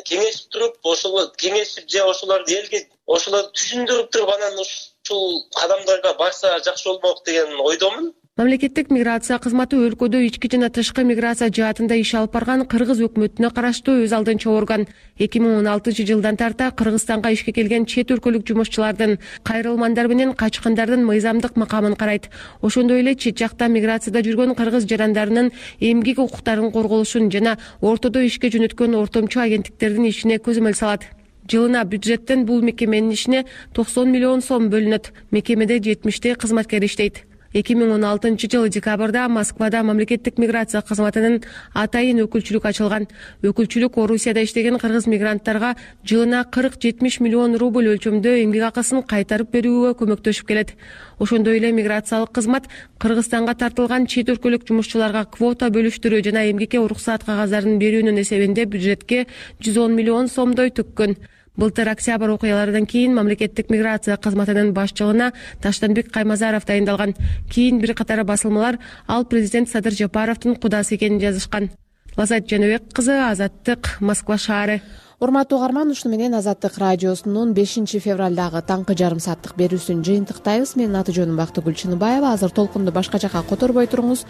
кеңешип туруп, ошол кеңешип же ошолорду элге ошолорду түшүндүрүп туруп, анан ушул кадамдарга барса жакшы болмок деген ойдомун. Мамлекеттик миграция кызматы өлкөдө ички жана тышкы миграция жаатында иш алып барган Кыргыз өкмөтүнө караштуу өз алдынча орган. 2016-жылдан тарта Кыргызстанга ишке келген чет өлкөлүк жумушчулардын, кайрылмандар менен качкандардын мыйзамдык макамын карайт. Ошондой эле чет жакта миграцияда жүргөн кыргыз жарандарынын эмгек укуктарын корголушун жана ортодо ишке жөнөткөн ортомчу агенттиктердин ишине көзөмөл салат. Жылына бюджеттен бул мекеменин ишине 90 миллион сом бөлүнөт. Мекемеде 70 кызматкер иштейт. 2016-жылы декабрда Москвада мамлекеттик миграция кызматынын атайын өкүлчүлүк ачылган. Өкүлчүлүк Орусияда иштеген кыргыз мигранттарга жылына 40-70 миллион рубль өлчөмдө эмгек акысын кайтарып берүүгө көмөктөшүп келет. Ошондой эле миграциялык кызмат Кыргызстанга тартылган чет өлкөлүк жумушчуларга квота бөлүштүрүү жана эмгекке уруксаат кагаздарын берүүнүн эсебинде бюджетке 110 миллион сомдой төккөн. Былтыр октябрь окуяларынан кийин мамлекеттик миграция кызматынын башчылыгына Таштанбек Каймазаров дайындалган. Кийин бир катар басылмалар ал президент Садыр Жапаровдун кудасы экенин жазышкан. Лазат Жаныбек кызы, Азаттык, Москва шаары. Урматтуу угарман, ушуну менен Азаттык радиосунун 5 февралдагы таңкы жарым сааттык берүүсүн жыйынтыктайбыз. Менин аты жөнүм Бактыгүл Чыныбаева. Азыр толкунду башка жака которбой туруңуз.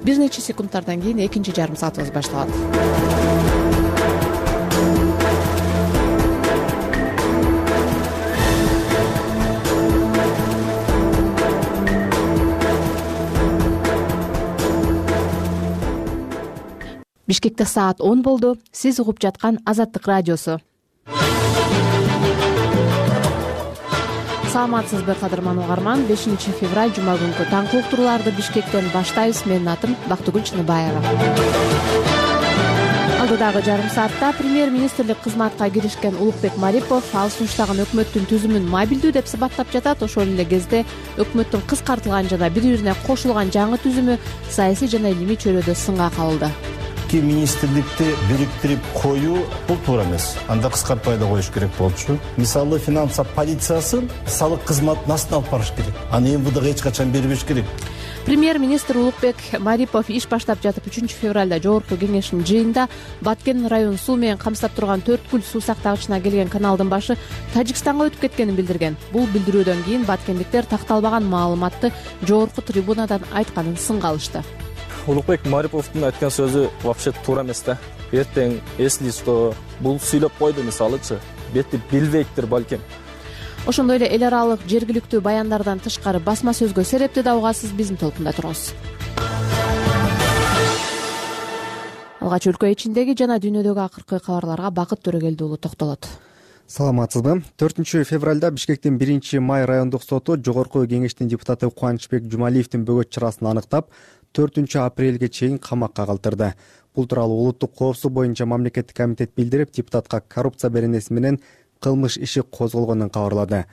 Бир нече секундтардан кийин экинчи жарым саатыбыз башталат. Бишкекте саат 10 болду. Сиз угуп жаткан Азаттык радиосу. Саламатсызбы кадырман угарман? 5 февраль жума күнкү таңкы уктурууларды Бишкектен баштайбыз. Менин атым Бактыгүл Чыныбаева. Алдыдагы жарым саатта премьер-министрлик кызматка киришкен Улукбек Марипов ал сунуштаган өкмөттүн түзүмүн мобилдүү деп сыпаттап жатат. Ошол эле кезде өкмөттүн кыскартылган жана бири-бирине кошулган жаңы түзүмү саясий жана илимий чөйрөдө сынга кабылды. Министрликти бириктирип коюу бул туура эмес. Анда кыскартпай да коюш керек болчу. Мисалы финанса полициясын салык кызматын астына алып барыш керек. Аны МВДга эч качан бербеш керек. Премьер-министр Улукбек Марипов иш баштап жатып 3 февралда жогорку кеңештин жыйынында Баткен районун суу менен камсыздап турган Төрткүл суу сактагычына келген каналдын башы Тажикстанга өтүп кеткенин билдирген. Бул билдирүүдөн кийин баткендиктер такталбаган маалыматты жогорку трибунадан айтканын сынга алышты. Улукбек Мариповдун айткан сөзү вообще туура эмес да. Эртең эслисто бул сүйлөп койду мисалычы. Бетти билбейттир балким. Ошондой эле эл аралык жергиликтүү баяндардан тышкары басма сөзгө серепти да угасыз. Биздин толкунда туруңуз. Алгач өлкө ичиндеги жана дүйнөдөгү акыркы кабарларга Бакыт Төрөгелди уулу токтолот. Саламатсызбы? 4 февралда Бишкектин 1 май райондук соту жогорку кеңештин депутаты Кубанычбек Жумалиевдин бөгөт чарасын аныктап 4 апрелге чейин камакка калтырды. Бул тууралуу улуттук коопсуздук боюнча мамлекеттик комитет билдирип, депутатка коррупция беренеси менен кылмыш иши козголгонун кабарлады.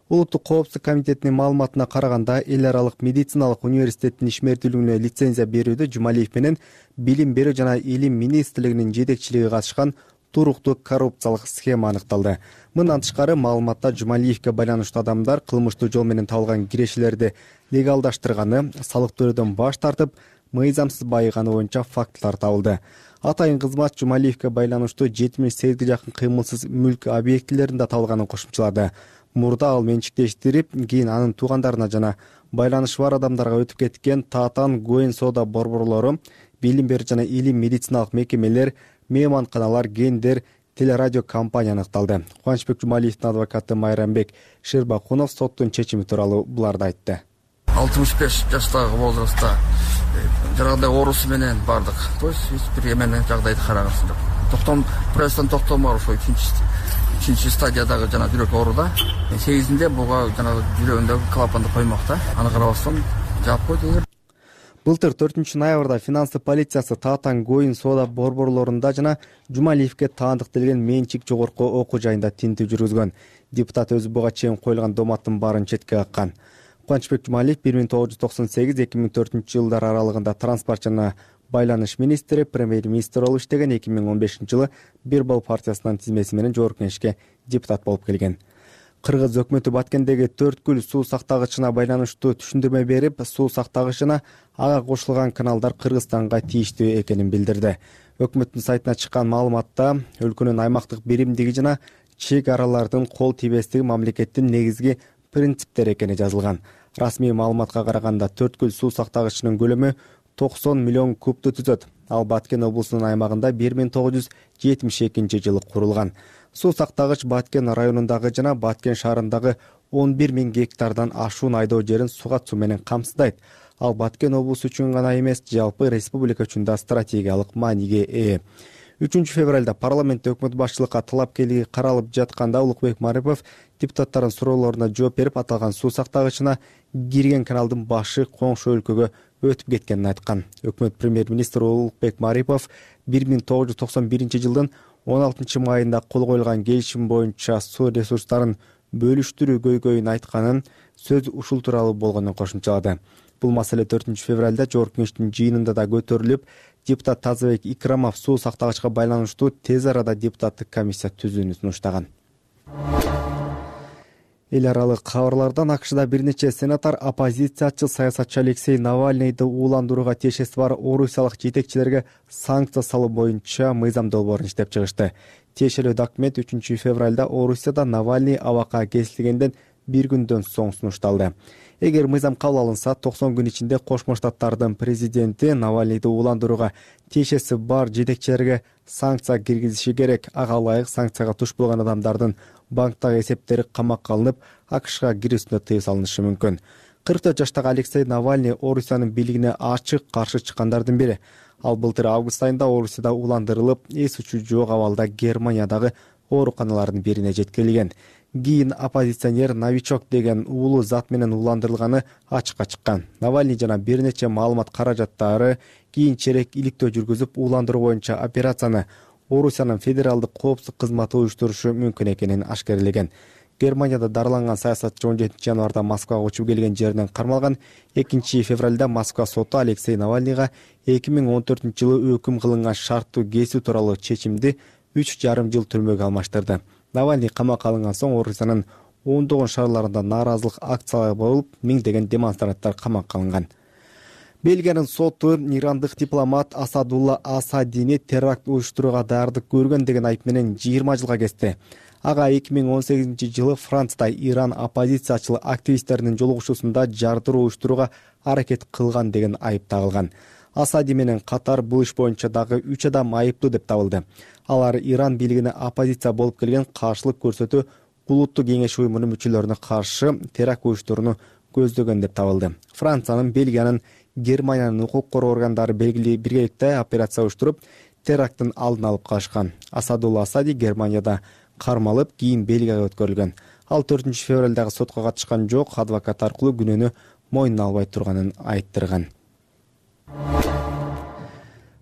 Улуттук коопсуздук комитетинин маалыматына караганда, эл аралык медициналык университеттин ишмердүүлүгүнө лицензия берүүдө Жумалиев менен Билим берүү жана Илим министрлигинин жетекчилиги катышкан туруктуу коррупциялык схема аныкталды. Мындан тышкары маалыматта Жумалиевге байланыштуу адамдар кылмыштуу жол менен табылган кирешелерди легалдаштырганы, салык төлөөдөн баш тартып, мыйзамсыз байыганы боюнча фактылар табылды. Атайын кызмат Жумалиевге байланыштуу 78 жакын кыймылсыз мүлк объектилеринде табылганын кошумчалады. Мурда ал менчиктештирип, кийин анын туугандарына жана байланышы бар адамдарга өтүп кеткен Татан, Гоен соода борборлору, Билим берүү жана Илим медициналык мекемелер, мейманканалар, гендер, телерадио компания аныкталды. Кубанычбек Жумалиевдин адвокаты Майрамбек Шербакунов соттун чечими тууралуу буларды айтты. 65 жаштагы возрастта жарандай оорусу менен бардык. То есть бир эменен жагдайды карагансың деп. Пресстен токтомор ошо 3 стадиядагы жана жүрөк ооруда. 8-inde буга жана жүрөгүндөгү клапанды коймокта. Аны карабастан жаап койду. Былтыр 4 ноябрда финансы полициясы Татан, Гоин соода борборлорунда жана Жумалиевге таандык делген менчик жогорку окуу жайында тинтүү жүргүзгөн. Депутат өзү буга чейин коюлган доматтын баарын четке каккан. Кубанычбек Жумалиев 1998-2004 жылдар аралыгында транспорт жана байланыш министри, премьер-министр болуп иштеген. 2015 жылы Бирбал партиясынын тизмеси менен жогорку кеңешке депутат болуп келген. Кыргыз өкмөтү Баткендеги Төрткүл суу сактагычына байланыштуу түшүндүрмө берип, суу сактагыч жана ага кошулган каналдар Кыргызстанга тийиштүү экенин билдирди. Өкмөттүн сайтына чыккан маалыматта өлкөнүн аймактык биримдиги жана чек аралардын кол тийбестиги мамлекеттин негизги принциптери экени жазылган. Расмий маалыматка караганда Төрткүл суу сактагычынын көлөмү 90 миллион кубту түзөт. Ал Баткен облусунун аймагында 1972 жылы курулган. Суу сактагыч Баткен районундагы жана Баткен шаарындагы 11 000 гектардан ашуун айдоо жерин сугат суу менен камсыздайт. Ал Баткен облусу үчүн гана эмес, жалпы республика үчүн да стратегиялык мааниге ээ. 3 февралда парламентте өкмөт башчылыкка талапкерлиги каралып жатканда Улукбек Марипов депутаттардын суроолоруна жооп берип, аталган суу сактагычына кирген каналдын башы коңшу өлкөгө өтүп кеткенин айткан. Өкмөт премьер-министри Улукбек Марипов 1991 жылдын 16 майында кол коюлган келишим боюнча суу ресурстарын бөлүштүрүү көйгөйүн айтканын, сөз ушул тууралуу болгонун кошумчалады. Бул маселе 4 февралда жогорку кеңештин жыйынында да көтөрүлүп, депутат Тазабек Икрамов суу сактагычка байланыштуу тез арада депутаттык комиссия түзүүнү сунуштаган. Эл аралык кабарлардан АКШда бир нече сенатор оппозициячы саясатчы Алексей Навальныйды ууландырууга тиешеси бар орусиялык жетекчилерге санкция салуу боюнча мыйзам долбоорун иштеп чыгышты. Тиешелүү документ 3 февралда Орусияда Навальный абакка кесилгенден бир күндөн соң сунушталды. Эгер мыйзам кабыл алынса, 90 күн ичинде Кошмо Штаттардын президенти Навальныйды ууландырууга тиешеси бар жетекчилерге санкция киргизиши керек. Ага ылайык санкцияга туш болгон адамдардын банктагы эсептери камакка алынып, АКШга кирүүсүнө тыюу салынышы мүмкүн. 44 жаштагы Алексей Навальный Орусиянын бийлигине ачык каршы чыккандардын бири. Ал былтыр август айында Орусияда ууландырылып, эс учу жок абалда Германиядагы ооруканалардын бирине жеткирилген. Кийин оппозиционер новичок деген уулу зат менен ууландырылганы ачыкка чыккан. Навальный жана бир нече маалымат каражаттары кийинчерээк иликтөө жүргүзүп, ууландыруу боюнча операцияны Орусиянын федералдык коопсуздук кызматы уюштурушу мүмкүн экенин ашкерлеген. Германияда дарыланган саясатчы 17 январда Москвага учуп келген жеринен кармалган. 2 февралда Москва соту Алексей Навальныйга 2014-жылы өкүм кылынган шарттуу кесүү тууралуу чечимди 3,5 жыл түрмөгө алмаштырды. Навальный камакка алынган соң Орусиянын ондогон шаарларында нааразылык акциялары болуп, миңдеген демонстранттар камакка алынган. Бельгиянын соту ирандык дипломат Асадулла Асадини теракт уюштурууга даярдык көргөн деген айып менен 20 жылга кести. Ага 2018-жылы Францияда Иран оппозициячыл активисттеринин жолугушуусунда жардыруу уюштурууга аракет кылган деген айып тагылган. Асади менен катар бул иш боюнча дагы 3 адам айыптуу деп табылды. Алар Иран бийлигине оппозиция болуп келген каршылык көрсөтүү улуттук кеңеш уюмунун мүчөлөрүнө каршы теракт уюштурууну көздөгөн деп табылды. Франциянын, Бельгиянын, Германиянын укук коргоо органдары биргеликте операция уюштуруп, теракттын алдын алып калышкан. Асадулла Асади Германияда кармалып, кийин Бельгияга өткөрүлгөн. Ал 4 февралдагы сотко катышкан жок, адвокат аркылуу күнөөнү мойнуна албай турганын айттырган.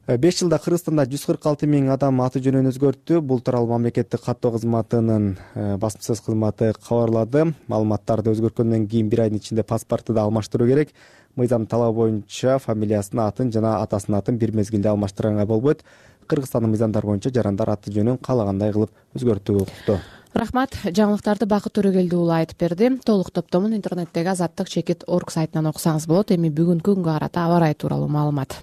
5 жылда Кыргызстанда 146 миң адам аты жөнүн өзгөрттү. Бул тууралуу мамлекеттик каттоо кызматынын басмасөз кызматы кабарлады. Маалыматтарды өзгөрткөндөн кийин 1 айдын ичинде паспорту да алмаштыруу керек. Мыйзам талабы боюнча фамилиясын, атын жана атасынын атын бир мезгилде алмаштырганга болбойт. Кыргызстандын мыйзамдары боюнча жарандар аты жөнүн каалагандай кылып өзгөртүүгө укуктуу. Рахмат. Жаңылыктарды Бакыт Төрөгелди уулу айтып берди. Толук топтомун интернеттеги azattik.org сайтынан окусаңыз болот. Эми бүгүнкү күнгө карата аба ырайы тууралуу маалымат.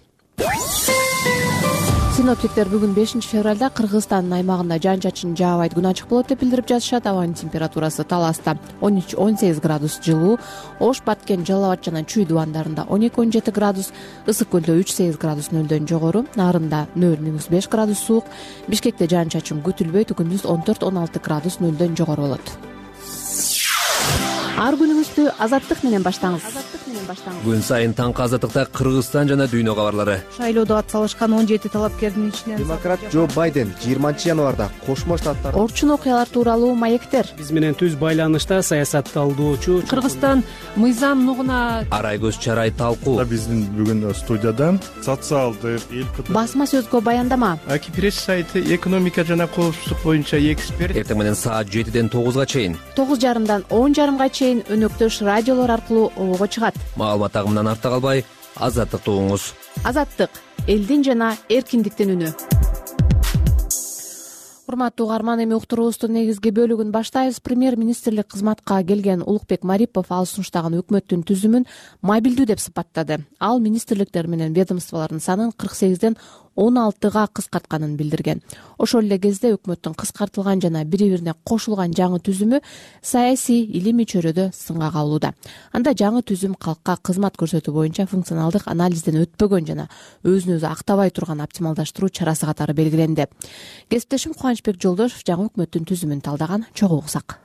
Синоптиктер бүгүн 5 февралда Кыргызстандын аймагында жаан-чачын жаабайт, күн ачык болот деп билдирип жатышат. Абанын температурасы Таласта 13-18 градус жылуу, Ош, Баткен, Жалал Абад жана Чүй дубандарында 12-17 градус, Ысык көлдө 3-8 градус нөлдөн жогору, Нарында 0-5 градус суук, Бишкекте жаан-чачын күтүлбөйт, күндүз 14-16 градус нөлдөн жогору болот. Ар күнүңүздү азаттык менен баштаңыз. Күн сайын таңкы азаттыкта Кыргызстан жана дүйнө кабарлары. Шайлоодо атсалышкан 17 талапкердин ичинен демократ Джо Байден 20 январда Кошмо Штаттар орчун окуялар тууралуу маектер. Биз менен түз байланышта саясат талдоочу Кыргызстан мыйзам нугуна Арайгөз Чарай талкуу. Биздин бүгүн студияда социалдык басма сөзгө баяндама. Аки пресс сайты экономика жана коопсуздук боюнча эксперт. Эртең менен саат 7-ден 9-га чейин, 9:30-дан 10:30-га чейин өнөктөш радиолор аркылуу обого чыгат. Маалымат агымынан артта калбай, азаттыкты угуңуз. Азаттык — элдин жана эркиндиктин үнү. Урматтуу угарман, эми уктуруубуздун негизги бөлүгүн баштайбыз. Премьер-министрлик кызматка келген Улукбек Марипов ал сунуштаган өкмөттүн түзүмүн мобилдүү деп сыпаттады. Ал министрликтер менен ведомстволордун санын 48-ден 16-га кыскартканын билдирген. Ошол эле кезде өкмөттүн кыскартылган жана бири-бирине кошулган жаңы түзүмү саясий илимий чөйрөдө сынга кабылууда. Анда жаңы түзүм калкка кызмат көрсөтүү боюнча функционалдык анализден өтпөгөн жана өзүн өзү актабай турган оптималдаштыруу чарасы катары белгиленди. Кесиптешим Кубанычбек Жолдошов жаңы өкмөттүн түзүмүн талдаган, чогуу уксак.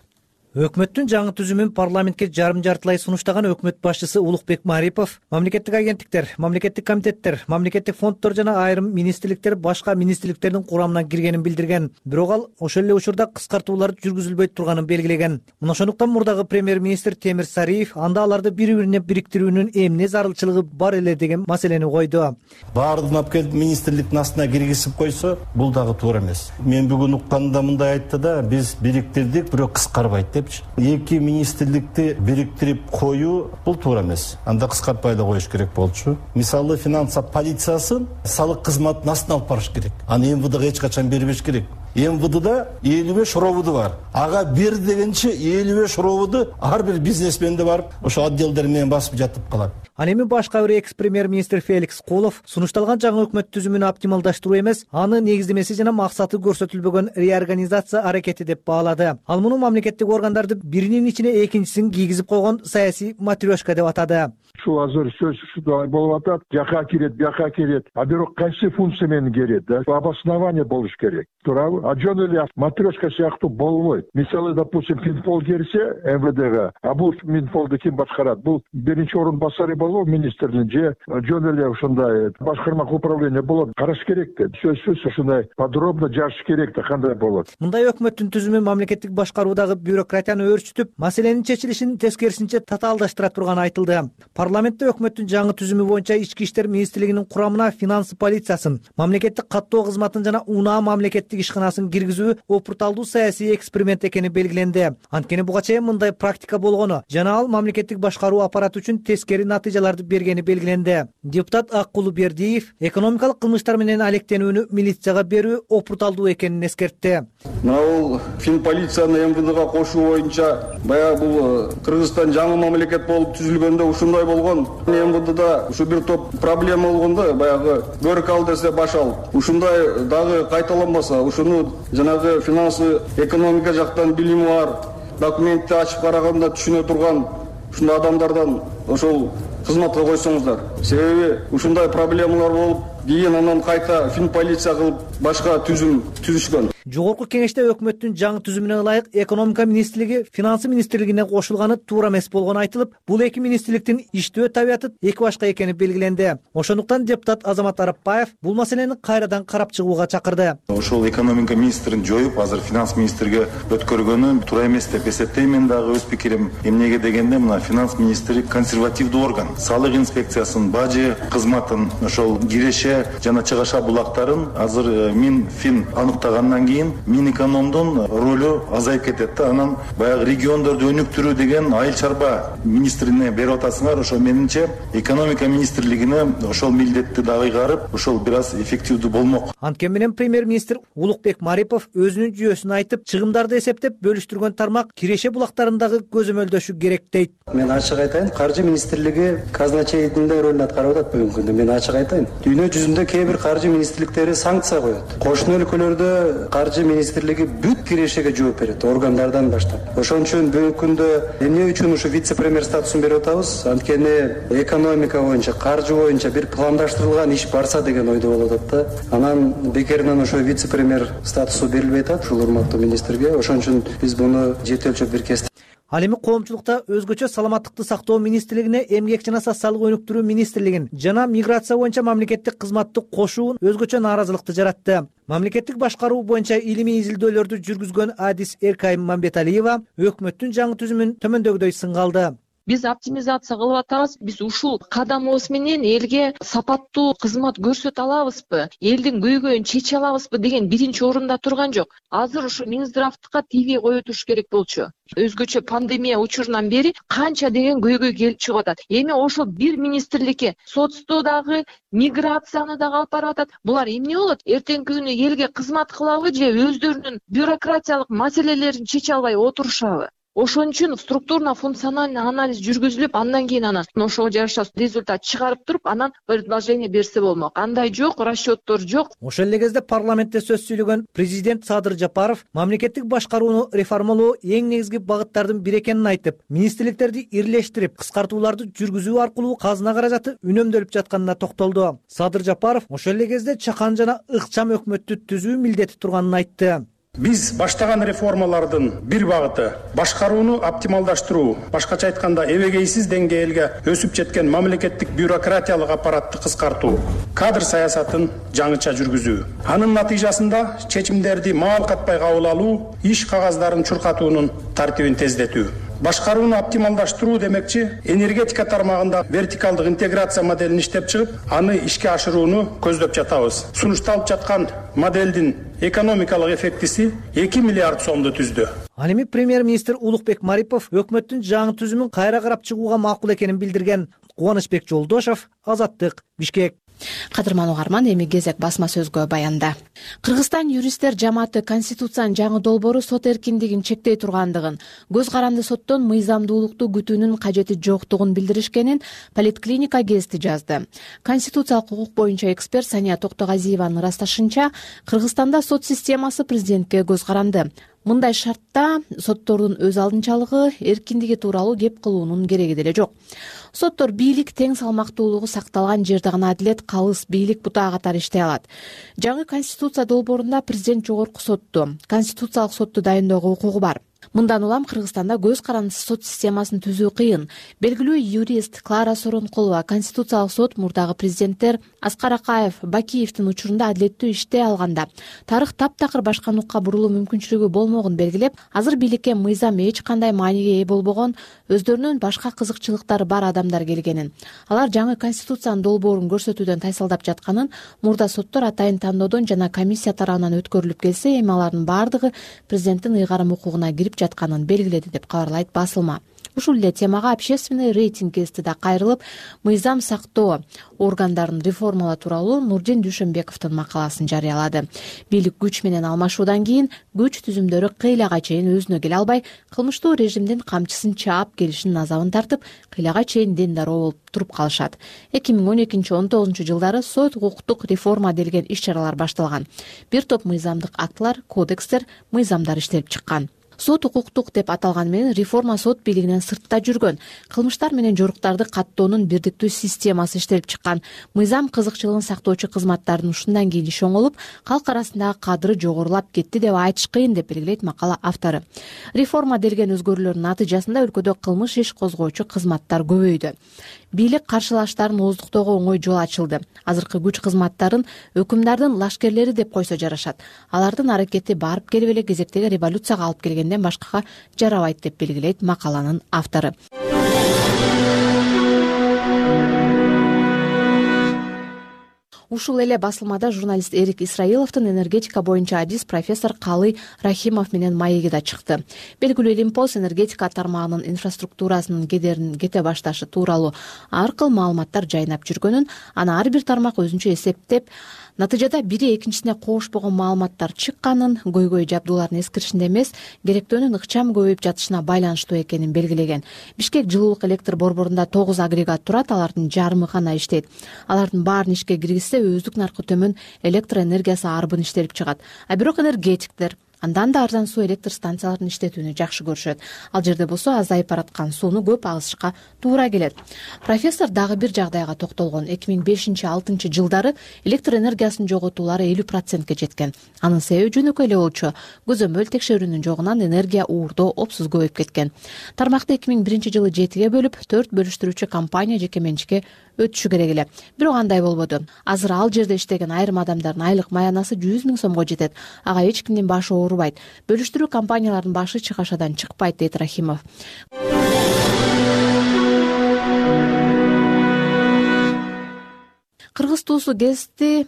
Өкмөттүн жаңы түзүмүн парламентке жарым жартылай сунуштаган өкмөт башчысы Улукбек Марипов мамлекеттик агенттиктер, мамлекеттик комитеттер, мамлекеттик фонддор жана айрым министрликтер башка министрликтердин курамына киргенин билдирген. Бирок ал ошол эле учурда кыскартуулар жүргүзүлбөй турганын белгилеген. Мына ошондуктан мурдагы премьер-министр Темир Сариев анда аларды бири-бирине бириктирүүнүн эмне зарылчылыгы бар эле деген маселени койду. Баардыгын алып келип министрликтин астына киргизип койсо, бул дагы туура эмес. Мен бүгүн укканда мындай айтты да, биз бириктирдик, бирок кыскарбайт деп. Эки министрликти бириктирип коюу бул туура эмес. Анда кыскартпай да коюш керек болчу. Мисалы финанса полициясын салык кызматын астына алып барыш керек. Аны МВДга эч качан бербеш керек. МВДда 55 рободу бар. Ага бер дегенче 55 рободу ар бир бизнесменде барып ошо отделдер менен басып жатып калат. Ал эми башка бир экс-премьер министр Феликс Колов сунушталган жаңы өкмөт түзүмүн оптималдаштыруу эмес, аны негиздемеси жана максаты көрсөтүлбөгөн реорганизация аракети деп баалады. Ал муну мамлекеттик органдарды биринин ичине экинчисин кийгизип койгон саясий матрешка деп атады. Ушул азыр сөз ушундай болуп атат, жака кирет, бияка кирет. А бирок кайсы функция менен кирет да? Обоснование болуш керек. Туурабы? А жөн эле матрешка сыяктуу болбойт. Мисалы, допустим, Минпол кирсе МВДга, а бул Минполду ким башкарат? Бул биринчи орун басары болобу министрдин же жөн эле ушундай башкармалык управление болот. Караш керек да. Сөзсүз ушундай подробно жазыш керек да, кандай болот. Мындай өкмөттүн түзүмү мамлекеттик башкаруудагы бюрократияны өрчүтүп, маселенин чечилишин тескерисинче татаалдаштыра турганы айтылды. Парламентте өкмөттүн жаңы түзүмү боюнча Ички иштер министрлигинин курамына финанс полициясын, мамлекеттик каттоо кызматын жана УНА мамлекеттик ишканасын киргизүү опурталдуу саясий эксперимент экени белгиленди. Анткени буга чейин мындай практика болгону жана ал мамлекеттик башкаруу аппараты үчүн тескери натыйжаларды бергени белгиленди. Депутат Аккулу Бердиев экономикалык кылмыштар менен алектенүүнү милицияга берүү опурталдуу экенин эскертти. Бул Финполицияны МВДга кошуу боюнча баягы бул Кыргызстан жаңы мамлекет болуп түзүлгөндө ушундай болгон. МВДда ушу бир топ проблема болгондо баягы көрүк ал десе баш ал. Ушундай дагы кайталанбаса, ушуну жанагы финансы экономика жактан билими бар, документти ачып караганда түшүнө турган ушундай адамдардан ошол кызматка койсоңуздар. Себеби ушундай проблемалар болуп, кийин анан кайта Финполиция кылып башка түзүм түзүшкөн. Жогорку кеңеште өкмөттүн жаңы түзүмүнө ылайык экономика министрлиги финансы министрлигине кошулганы туура эмес болгону айтылып, бул эки министрликтин иштөө табияты эки башка экени белгиленди. Ошондуктан депутат Азамат Арапбаев бул маселени кайрадан карап чыгууга чакырды. Ошол экономика министрин жоюп, азыр финанс министрге өткөргөнү туура эмес деп эсептейм. Дагы өз пикирим эмнеге дегенде, мына финанс министри консервативдүү орган. Салык инспекциясын, бажы кызматын, ошол киреше жана чыгаша булактарын азыр Минфин аныктагандан кийин Минэкономдун ролу азайып кетет да. Анан баягы региондорду өнүктүрүү деген айыл чарба министрине берип атасыңар. Ошо менимче экономика министрлигине ошол милдетти дагы ыйгарып, ошол бир аз эффективдүү болмок. Анткени менен премьер-министр Улукбек Марипов өзүнүн жүйөсүн айтып, чыгымдарды эсептеп бөлүштүргөн тармак киреше булактарындагы көзөмөлдөшү керек дейт. Мен ачык айтайын, каржы министрлиги казначейдин ролун аткарып атат бүгүнкү күндө. Мен ачык айтайын. Дүйнө жүзүндө кээ бир каржы министрликтери санкция коет. Кошуна өлкөлөрдө каржы министрлиги бүт кирешеге жооп берет, органдардан баштап. Ошон үчүн бүгүнкү күндө эмне үчүн ушу вице-премьер статусун берип атабыз? Анткени экономика боюнча, каржы боюнча бир пландаштырылган иш барса деген ойдо болуп атат да. Анан бекеринен ошо вице-премьер статусу берилбей атат ушул урматтуу министрге. Ошон үчүн биз буну жети өлчөп бир кестик. Ал эми коомчулукта өзгөчө саламаттыкты сактоо министрлигине, эмгек жана социалдык өнүктүрүү министрлигин жана миграция боюнча мамлекеттик кызматты кошуун өзгөчө нааразылыкты жаратты. Мамлекеттик башкаруу боюнча илимий изилдөөлөрдү жүргүзгөн адис Эркайым Мамбеталиева өкмөттүн жаңы түзүмүн төмөндөгүдөй сынга алды. Биз оптимизация кылып атабыз. Биз ушул кадамыбыз менен элге сапаттуу кызмат көрсөтө алабызбы, элдин көйгөйүн чече алабызбы деген биринчи орунда турган жок. Азыр ушу Минздравтыкка тийбей кое туруш керек болчу. Өзгөчө пандемия учурунан бери канча деген көйгөй келип чыгып атат. Эми ошол бир министрликке соцту дагы, миграцияны дагы алып барып атат. Булар эмне болот? Эртеңки күнү элге кызмат кылабы же өздөрүнүн бюрократиялык маселелерин чече албай отурушабы? Ошон үчүн структурно-функциональный анализ жүргүзүлүп, андан кийин анан ошого жараша результат чыгарып туруп, анан предложение берсе болмок. Андай жок, расчеттор жок. Ошол эле кезде парламентте сөз сүйлөгөн президент Садыр Жапаров мамлекеттик башкарууну реформалоо эң негизги багыттардын бири экенин айтып, министрликтерди ирлештирип, кыскартууларды жүргүзүү аркылуу казына каражаты үнөмдөлүп жатканына токтолду. Садыр Жапаров ошол эле кезде чакан жана ыкчам өкмөттү түзүү милдети турганын айтты. Биз баштаган реформалардын бир багыты башкарууну оптималдаштыруу, башкача айтканда эбегейсиз деңгээлге өсүп жеткен мамлекеттик бюрократиялык аппаратты кыскартуу, кадр саясатын жаңыча жүргүзүү. Анын натыйжасында чечимдерди маал катпай кабыл алуу, иш кагаздарын чуркатуунун тартибин тездетүү. Башкарууну оптималдаштыруу демекчи, энергетика тармагында вертикалдык интеграция моделин иштеп чыгып, аны ишке ашырууну көздөп жатабыз. Сунушталып жаткан модельдин экономикалык эффектиси 2 миллиард сомду түздү. Ал эми премьер-министр Улукбек Марипов өкмөттүн жаңы түзүмүн кайра карап чыгууга макул экенин билдирген. Кубанычбек Жолдошов, Азаттык, Бишкек. Кадырман угарман, эми кезек басма сөзгө баянда. Кыргызстан юристтер жамааты Конституциянын жаңы долбоору сот эркиндигин чектей тургандыгын, көз каранды соттон мыйзамдуулукту күтүүнүн кажети жоктугун билдиришкенин Политклиника гезити жазды. Конституциялык укук боюнча эксперт Сания Токтогазиеванын ырасташынча, Кыргызстанда сот системасы президентке көз каранды. Мындай шартта соттордун өз алдынчалыгы, эркиндиги тууралуу кеп кылуунун кереги деле жок. Соттор бийлик тең салмактуулугу сакталган жерде гана адилет калыс бийлик бутаа катары иштей алат. Жаңы Конституция долбоорунда президент жогорку сотту, Конституциялык сотту дайындоого укугу бар. Мындан улам Кыргызстанда көз карандысыз сот системасын түзүү кыйын. Белгилүү юрист Клара Соронкулова Конституциялык сот мурдагы президенттер Аскар Акаев, Бакиевдин учурунда адилеттүү иштей алганда тарых таптакыр башка нукка бурулуу мүмкүнчүлүгү болмогун белгилеп, азыр бийликке мыйзам эч кандай мааниге ээ болбогон, өздөрүнүн башка кызыкчылыктары бар адамдар келгенин, алар жаңы Конституциянын долбоорун көрсөтүүдөн тайсалдап жатканын, мурда соттор атайын тандоодон жана комиссия тарабынан өткөрүлүп келсе, эми алардын бардыгы президенттин ыйгарым укугуна кирип жатканын белгиледи деп кабарлайт басылма. Ушул эле темага общественный рейтинг гезити да кайрылып, мыйзам сактоо органдарын реформалоо тууралуу Нурдин Дүйшөнбековдун макаласын жарыялады. Бийлик күч менен алмашуудан кийин күч түзүмдөрү кыйлага чейин өзүнө келе албай, кылмыштуу режимдин камчысын чаап келишинин азабын тартып, кыйлага чейин дендароо болуп туруп калышат. 2012-19 жылдары сот укуктук реформа делген иш-чаралар башталган. Бир топ мыйзамдык актылар, кодекстер, мыйзамдар иштелип чыккан. Сот укуктук деп аталган менен реформа сот бийлигинен сыртта жүргөн. Кылмыштар менен жоруктарды каттоонун бирдиктүү системасы иштелип чыккан. Мыйзам кызыкчылыгын сактоочу кызматтардын ушундан кийин иш оңолуп, калк арасындагы кадыры жогорулап кетти деп айтыш кыйын деп белгилейт макала автору. Реформа делген өзгөрүүлөрдүн натыйжасында өлкөдө кылмыш иш козгоочу кызматтар көбөйдү. Бийлик каршылаштарын ооздуктоого оңой жол ачылды. Азыркы күч кызматтарын өкүмдардын лашкерлери деп койсо жарашат. Алардын аракети барып келип эле кезектеги революцияга алып келгенден башкага жарабайт деп белгилейт макаланын автору. Ушул эле басылмада журналист Эрик Исраиловдун энергетика боюнча адис профессор Калы Рахимов менен маеги да чыкты. Белгилүү Лимпос энергетика тармагынын инфраструктурасынын кедерин кете башташы тууралуу ар кыл маалыматтар жайнап жүргөнүн, аны ар бир тармак өзүнчө эсептеп, натыйжада бири экинчисине кошпогон маалыматтар чыкканын, көйгөй жабдуулардын эскиришинде эмес, керектөөнүн ыкчам көбөйүп жатышына байланыштуу экенин белгилеген. Бишкек жылуулук электр борборунда 9 агрегат турат, алардын жарымы гана иштейт. Алардын баарын ишке киргизсе, өздүк наркы төмөн электр энергиясы арбын иштелип чыгат. А бирок энергетиктер андан да арзан суу электр станцияларын иштетүүнү жакшы көрүшөт. Ал жерде болсо азайып бараткан сууну көп агызышка туура келет. Профессор дагы бир жагдайга токтолгон. 2005-2006 жылдары электр энергиясынын жоготуулары 50%ке жеткен. Анын себеби жөнөкөй эле болчу. Көзөмөл текшерүүнүн жогунан энергия уурдоо опсуз көбөйүп кеткен. Тармакты 2001 жылы 7ге бөлүп, 4 бөлүштүрүүчү компания жеке менчикке өтүшү керек эле. Бирок андай болбоду. Азыр ал жерде иштеген айрым адамдардын айлык маянасы 100 000 сомго жетет. Ага эч кимдин башы оорубайт. Бөлүштүрүү компаниялардын башы чыгашадан чыкпайт, дейт Рахимов. Кыргыз туусу гезити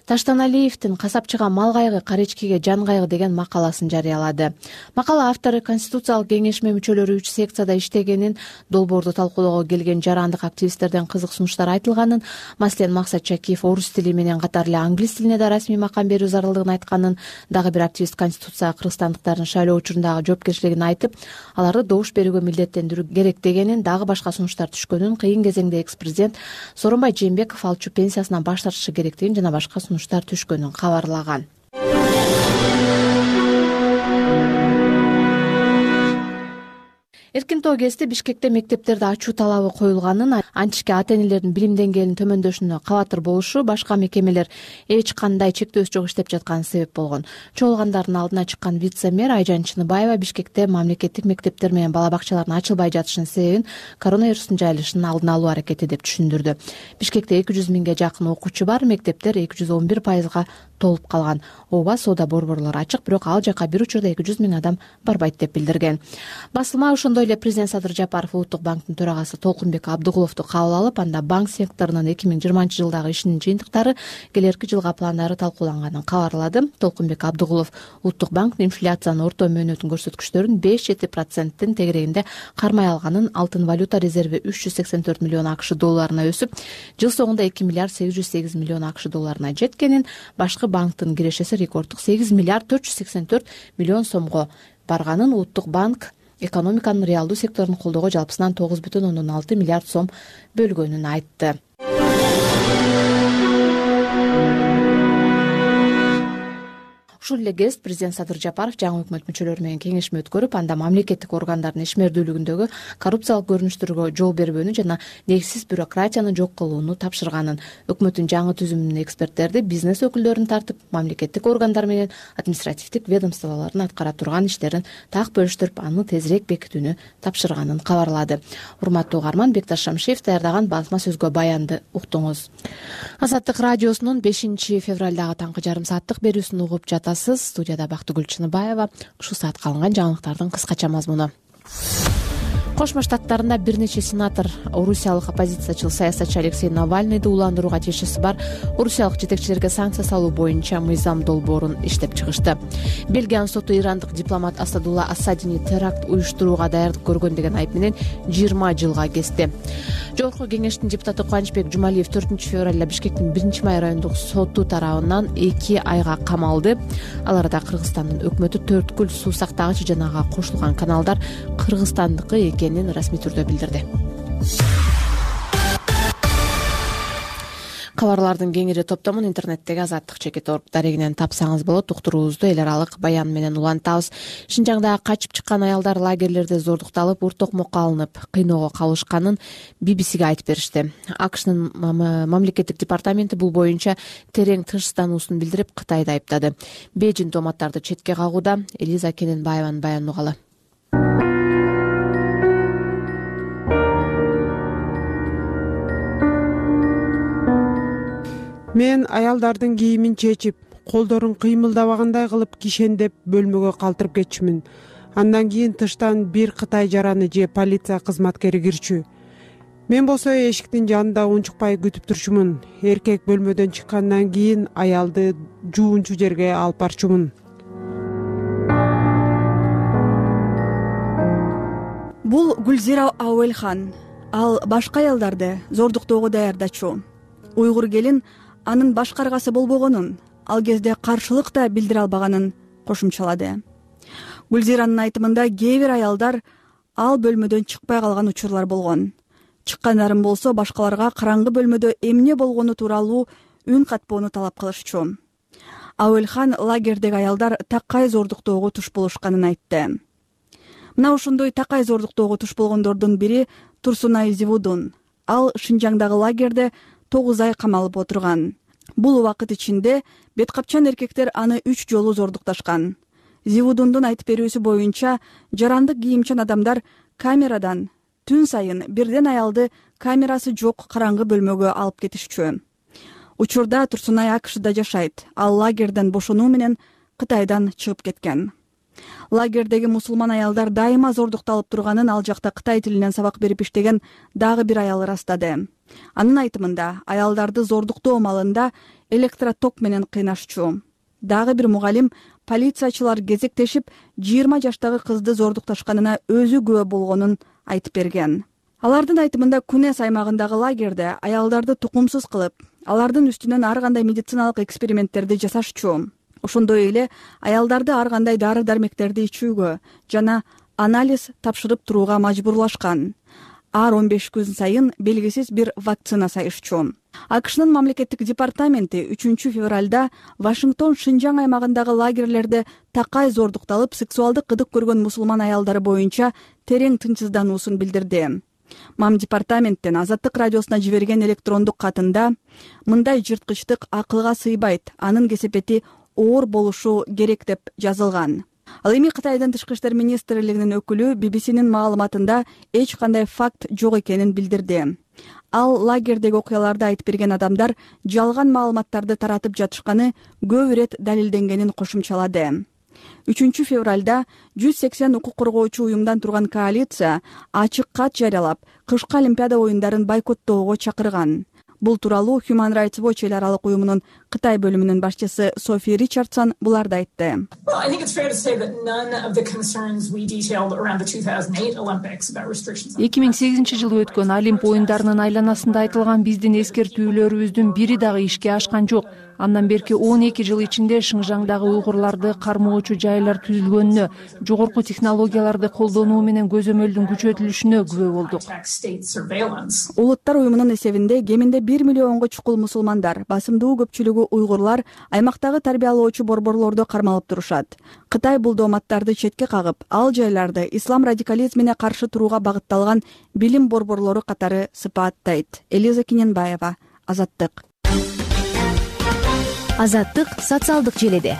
Таштаналиевдин касапчыга мал кайгы, каречкиге жан кайгы деген макаласын жарыялады. Макала автору Конституциялык кеңешме мүчөлөрү 3 секцияда иштегенин, долбоорду талкуулоого келген жарандык активисттерден кызык сунуштар айтылганын, маселен Максат Чакиев орус тили менен катар эле англис тилине да расмий макам берүү зарылдыгын айтканын, дагы бир активист Конституцияга кыргызстандыктардын шайлоо учурундагы жоопкерчилигин айтып, аларды добуш берүүгө милдеттендирүү керек дегенин, дагы башка сунуштар түшкөнүн, кыйын кезеңде экс-президент Сооронбай Жээнбеков алчу пенсиясынан баш тартышы керектигин жана башка сунуштар түшкөнүн кабарлаган. Эркин тоо гезити Бишкекте мектептерде ачуу талабы коюлганын, антишке ата-энелердин билим деңгээлин төмөндөшүнө кабатыр болушу, башка мекемелер эч кандай чектөөсү жок иштеп жатканы себеп болгон. Чогулгандардын алдына чыккан вице-мэр Айжан Чыныбаева Бишкекте мамлекеттик мектептер менен бала бакчалардын ачылбай жатышынын себебин коронавирустун жайылышынын алдын алуу аракети деп түшүндүрдү. Бишкекте 200 000ге жакын окуучу бар, мектептер 211%га толуп калган. Ооба, соода борборлору ачык, бирок ал жака бир учурда 200 000 адам барбайт деп билдирген. Басылма ошондой эле президент Садыр Жапаров Улуттук банктын төрагасы Толкунбек Абдыгуловду кабыл алып, анда банк секторунун 2020 жылдагы ишинин жыйынтыктары, келерки жылга пландары талкууланганын кабарлады. Толкунбек Абдыгулов Улуттук банктын инфляциянын орто мөөнөтүн көрсөткүчтөрүн 5-7%-тин тегерегинде кармай алганын, алтын валюта резерви 384 миллион АКШ долларына өсүп, жыл соңунда 2 миллиард 808 миллион АКШ долларына жеткенин, башкы банктын кирешеси рекорддук 8 миллиард 484 миллион сомго барганын Улуттук банк экономиканын реалдуу секторун колдоого жалпысынан 9,6 миллиард сом бөлгөнүн айтты. Ушул эле кезд президент Садыр Жапаров жаңы өкмөт мүчөлөрү менен кеңешме өткөрүп, анда мамлекеттик органдардын ишмердүүлүгүндөгү коррупциялык көрүнүштөргө жол бербөөнү жана негизсиз бюрократияны жок кылууну тапшырганын, өкмөттүн жаңы түзүмүнүн эксперттерди, бизнес өкүлдөрүн тартып, мамлекеттик органдар менен административдик ведомстволордун аткара турган иштерин так бөлүштүрүп, аны тезирээк бекитүүнү тапшырганын кабарлады. Урматтуу угарман, Бекташ Шамшиев даярдаган басма сөзгө баянды уктуңуз. Азаттык радиосунун 5 февралдагы таңкы жарым сааттык берүүсүн угуп жатасыз. Студияда Бактыгүл Чыныбаева. Ушул саатка алынган жаңылыктардын кыскача мазмуну. Кошмо Штаттарында бир нече сенатор орусиялык оппозициячыл саясатчы Алексей Навальныйды уландырууга тиешеси бар орусиялык жетекчилерге санкция салуу боюнча мыйзам долбоорун иштеп чыгышты. Бельгиянын соту ирандык дипломат Асадулла Асадини теракт уюштурууга даярдык көргөн деген айып менен 20 жылга кести. Жогорку кеңештин депутаты Кубанычбек Жумалиев 4 февралда Бишкектин 1-май райондук соту тарабынан 2 айга камалды. Ал арада Кыргызстандын өкмөтү Төрткүл суу сактагыч жанага кошулган каналдар Кыргызстандыкы экенин расмий түрдө билдирди. Кабарлардын кеңири топтомун интернеттеги azattik.org дарегинен тапсаңыз болот. Уктуруубузду эл аралык баян менен улантабыз. Шинжаңда качып чыккан аялдар лагерлерде зордукталып, уртокмокко алынып, кыйноого калышканын BBC-ге айтып беришти. АКШнын мамлекеттик департаменти бул боюнча терең тынчсыздануусун билдирип, Кытайды айыптады. Бейжин томаттарды четке кагууда. Элиза Кененбаеванын баянын угалы. Мен аялдардын кийимин чечип, колдорун кыймылдабагандай кылып кишендеп бөлмөгө калтырып кетчүмүн. Андан кийин тыштан бир Кытай жараны же полиция кызматкери кирчү. Мен болсо эшиктин жанында унчукпай күтүп турчумун. Эркек бөлмөдөн чыккандан кийин аялды жуунчу жерге алып барчумун. Бул Гүлзира Ауэлхан. Ал башка аялдарды зордуктоого даярдачу. Уйгур келин анын башкаргасы болбогонун, ал кезде каршылык да билдире албаганын кошумчалады. Гүлзиранын айтымында кээ бир аялдар ал бөлмөдөн чыкпай калган учурлар болгон. Чыккандарын болсо башкаларга караңгы бөлмөдө эмне болгону тууралуу үн катпоону талап кылышчу. Ауэлхан лагердеги аялдар такай зордуктоого туш болушканын айтты. Мына ошондой такай зордуктоого туш болгондордун бири Турсунай Зивудун. Ал Шинжаңдагы лагерде 9 ай камалып отурган. Бул убакыт ичинде беткапчан эркектер аны 3 жолу зордукташкан. Зивудундун айтып берүүсү боюнча, жарандык кийимчан адамдар камерадан түн сайын бирден аялды камерасы жок караңгы бөлмөгө алып кетишчү. Учурда Турсунай АКШда жашайт. Ал лагерден бошонуу менен Кытайдан чыгып кеткен. Лагердеги мусулман аялдар дайыма зордукталып турганын ал жакта Кытай тилинен сабак берип иштеген дагы бир аял ырастады. Анын айтымында, аялдарды зордуктоо маалында электроток менен кыйнашчу. Дагы бир мугалим полициячылар кезектешип 20 жаштагы кызды зордукташканына өзү күбө болгонун айтып берген. Алардын айтымында Кунес аймагындагы лагерде аялдарды тукумсуз кылып, алардын үстүнөн ар кандай медициналык эксперименттерди жасашчу. Ошондой эле аялдарды ар кандай дары-дармектерди ичүүгө жана анализ тапшырып турууга мажбурлашкан. Ар 15 күн сайын белгисиз бир вакцина сайышчу. АКШнын мамлекеттик департаменти 3 февралда Вашингтон Шинжаң аймагындагы лагерлерде такай зордукталып, сексуалдык кыдык көргөн мусулман аялдары боюнча терең тынчсыздануусун билдирди. Мам департаменттен Азаттык радиосуна жиберген электрондук катында мындай жырткычтык акылга сыйбайт, анын кесепети оор болушу керек деп жазылган. Ал эми Кытайдын тышкы иштер министрлигинин өкүлү BBC'нин маалыматында эч кандай факт жок экенин билдирди. Ал лагердеги окуяларды айтып берген адамдар жалган маалыматтарды таратып жатышканы көп ирет далилденгенин кошумчалады. 3 февралда 180 укук коргоочу уюмдан турган коалиция ачык кат жарыялап, кышкы Олимпиада оюндарын бойкоттоого чакырган. Бул тууралуу Human Rights Watch эл аралык уюмунун Кытай бөлүмүнүн башчысы Софи Ричардсон буларды айтты. 2008 жылы өткөн Олимп оюндарынын айланасында айтылган биздин эскертүүлөрүбүздүн бири дагы ишке ашкан жок. Андан берки 12 жыл ичинде Шыңжаңдагы уйгурларды кармоочу жайлар түзүлгөнүнө, жогорку технологияларды колдонуу менен көзөмөлдүн күчөтүлүшүнө күбө болдук. Улуттар уюмунун эсебинде кеминде 1 миллионго чукул мусулмандар, басымдуу көпчүлүгү уйгурлар аймактагы тарбиялоочу борборлордо кармалып турушат. Кытай бул дооматтарды четке кагып, ал жайларды ислам радикализмине каршы турууга багытталган билим борборлору катары сыпааттайт. Элиза Киненбаева, Азаттык. Азаттык социалдык желеде.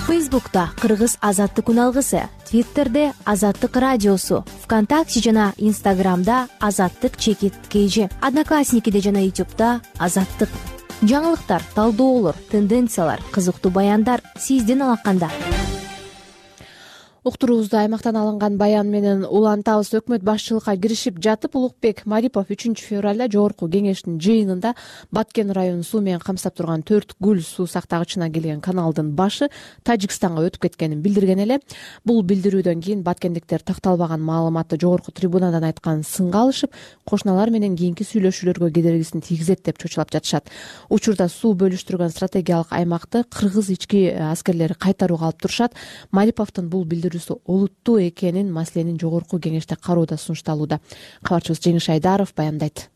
Фейсбукта Кыргыз Азаттык үналгысы, Твиттерде Азаттык радиосу, ВКонтакте жана Инстаграмда Азаттык_KG, Одноклассникиде жана Ютубта Азаттык. Жаңылыктар, талдоолор, тенденциялар, кызыктуу баяндар сиздин алаканда. Уктуруубузда аймактан алынган баян менен улантабыз. Өкмөт башчылыкка киришип жатып, Улукбек Марипов 3-февралда жогорку кеңештин жыйынында Баткен районун суу менен камсап турган 4 гүл суу сактагычына келген каналдын башы Тажикстанга өтүп кеткенин билдирген эле. Бул билдирүүдөн кийин баткендиктер такталбаган маалыматты жогорку трибунадан айткан сынга алышып, кошуналар менен кийинки сүйлөшүүлөргө кедергисин тийгизет деп чочулап жатышат. Учурда суу бөлүштүргөн стратегиялык аймакты кыргыз ички аскерлери кайтарууга алып турушат. Мариповдун бул олуттуу экенин маселенин жогорку кеңеште кароодо сунушталууда. Кабарчыбыз Жеңиш Айдаров баяндайт.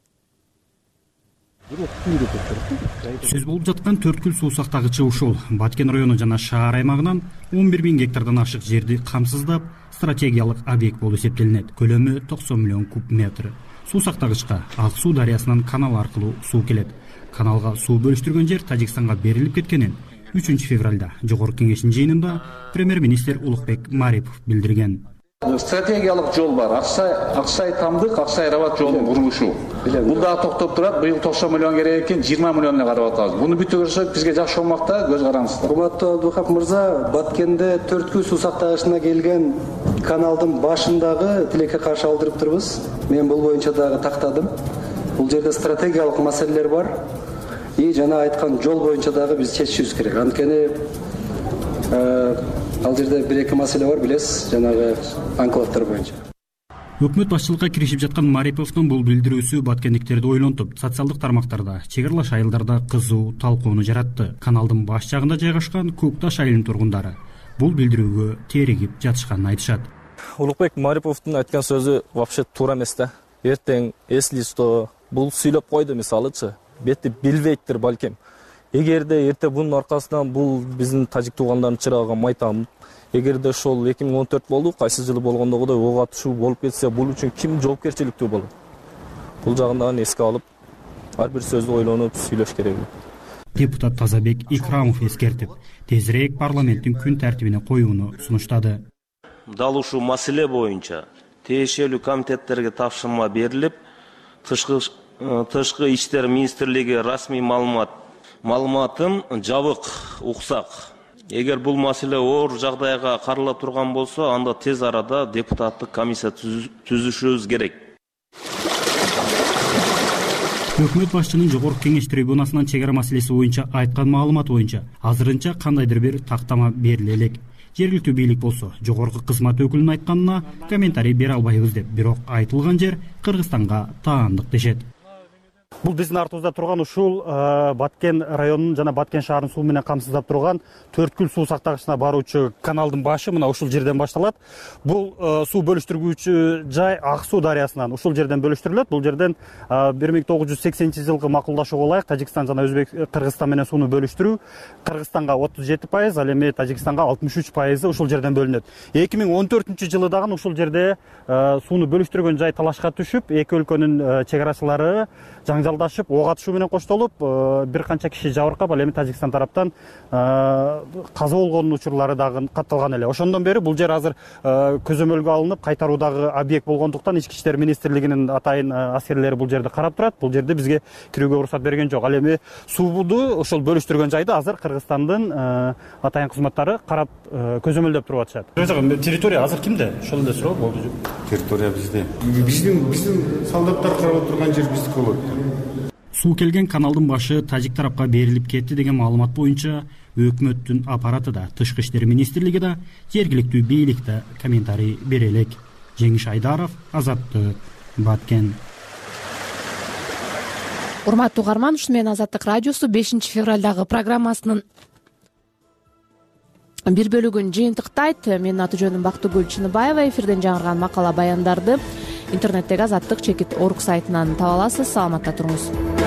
Сөз болуп жаткан 4 гүл суу сактагычы ушул. Баткен району жана шаар аймагынан 11 000 гектардан ашык жерди камсыздап, стратегиялык объект болуп эсептелинет. Көлөмү 90 миллион куб метр. Суу сактагычка Ак суу дарыясынан канал аркылуу суу келет. Каналга суу бөлүштүргөн жер Тажикстанга берилип кеткенин 3-февралда жогорку кеңештин жыйынында премьер-министр Улукбек Марипов билдирген. Стратегиялык жол бар. Аксай Тамдык, Аксай Рабат жолун курулушу. Бул дагы токтоп турат. Быйыл 90 миллион керек экен, 20 миллион эле карап атабыз. Буну бүтүп көрсөк, бизге жакшы болмакта, көз караңыздар. Урматтуу Абдухак мырза, Баткенде 4 гүл суу сактагычына келген каналдын башындагы тилекке каршы алдырып турбуз. Мен бул боюнча дагы тактадым. Бул жерде стратегиялык маселелер бар. Жана айткан жол боюнча дагы биз чечишибиз керек. Анткени ал жерде 1-2 маселе бар, билесиз, жанагы анклавдар боюнча. Өкмөт башчылыкка киришип жаткан Мариповдун бул билдирүүсү баткендиктерди ойлонтуп, социалдык тармактарда, чек аралаш айылдарда кызуу талкууну жаратты. Каналдын баш жагында жайгашкан Көкташ айылынын тургундары бул билдирүүгө теригип жатышканын айтышат. Улукбек Мариповдун айткан сөзү вообще туура эмес да. Эртең эслисто бул сүйлөп койду мисалычы. Бетти билбейттир балким. Эгерде эрте бунун аркасынан бул биздин тажик туугандардын чырагына майтам, эгерде ошол 2014 болду, кайсы жылы болгондогудой ок атышуу болуп кетсе, бул үчүн ким жоопкерчиликтүү болот? Бул жагынан эске алып, ар бир сөздү ойлонуп сүйлөш керек. Депутат Тазабек Икрамов эскертип, тезирээк парламенттин күн тартибине коюуну сунуштады. Дал ушул маселе боюнча тиешелүү комитеттерге тапшырма берилип, Тышкы иштер министрлиги расмий маалыматын жабык уксак. Эгер бул маселе оор жагдайга карала турган болсо, анда тез арада депутаттык комиссия түзүшүбүз керек. Өкмөт башчынын жогорку кеңеш трибунасынан чек ара маселеси боюнча айткан маалымат боюнча азырынча кандайдыр бир тактама бериле элек. Жергиликтүү бийлик болсо жогорку кызмат өкүлүнүн айтканына комментарий бере албайбыз деп, бирок айтылган жер Кыргызстанга таандык дешет. Бул биздин артыбызда турган ушул Баткен районунун жана Баткен шаарынын суу менен камсыздап турган 4 гүл суу сактагычына баруучу каналдын башы мына ушул жерден башталат. Бул суу бөлүштүргүүчү жай Ак суу дарыясынан ушул жерден бөлүштүрүлөт. Бул жерден 1980-жылкы макулдашууга ылайык Тажикстан жана Кыргызстан менен сууну бөлүштүрүү Кыргызстанга 37%, ал эми Тажикстанга 63% ушул жерден бөлүнөт. 2014-жылы дагы ушул жерде сууну бөлүштүргөн жай талашка түшүп, эки өлкөнүн чек арачылары жаңжалдашып, ок атышуу менен коштолуп, бир канча киши жабыркап, ал эми Тажикстан тараптан каза болгон учурлары дагы катталган эле. Ошондон бери бул жер азыр көзөмөлгө алынып, кайтаруудагы объект болгондуктан Ички иштер министрлигинин атайын аскерлери бул жерди карап турат. Бул жерде бизге кирүүгө уруксат берген жок. Ал эми сууду ошол бөлүштүргөн жайды азыр Кыргызстандын атайын кызматтары карап көзөмөлдөп туруп атышат. Территория азыр кимде? Ошол эле суроо болду. Территория бизде. Биздин солдаттар карап турган жер биздики болот. Суу келген каналдын башы тажик тарапка берилип кетти деген маалымат боюнча өкмөттүн аппараты да, Тышкы иштер министрлиги да, жергиликтүү бийлик да комментарий бере элек. Жеңиш Айдаров, Азаттык, Баткен. урматтуу угарман, ушу менен Азаттык радиосу 5 февралдагы программасынын бир бөлүгүн жыйынтыктайт. Менин аты жөнүм Бактыгүл Чыныбаева. Эфирден жаңырган макала баяндарды интернеттеги Азаттык /орг сайтынан таба аласыз. Саламатта туруңуз.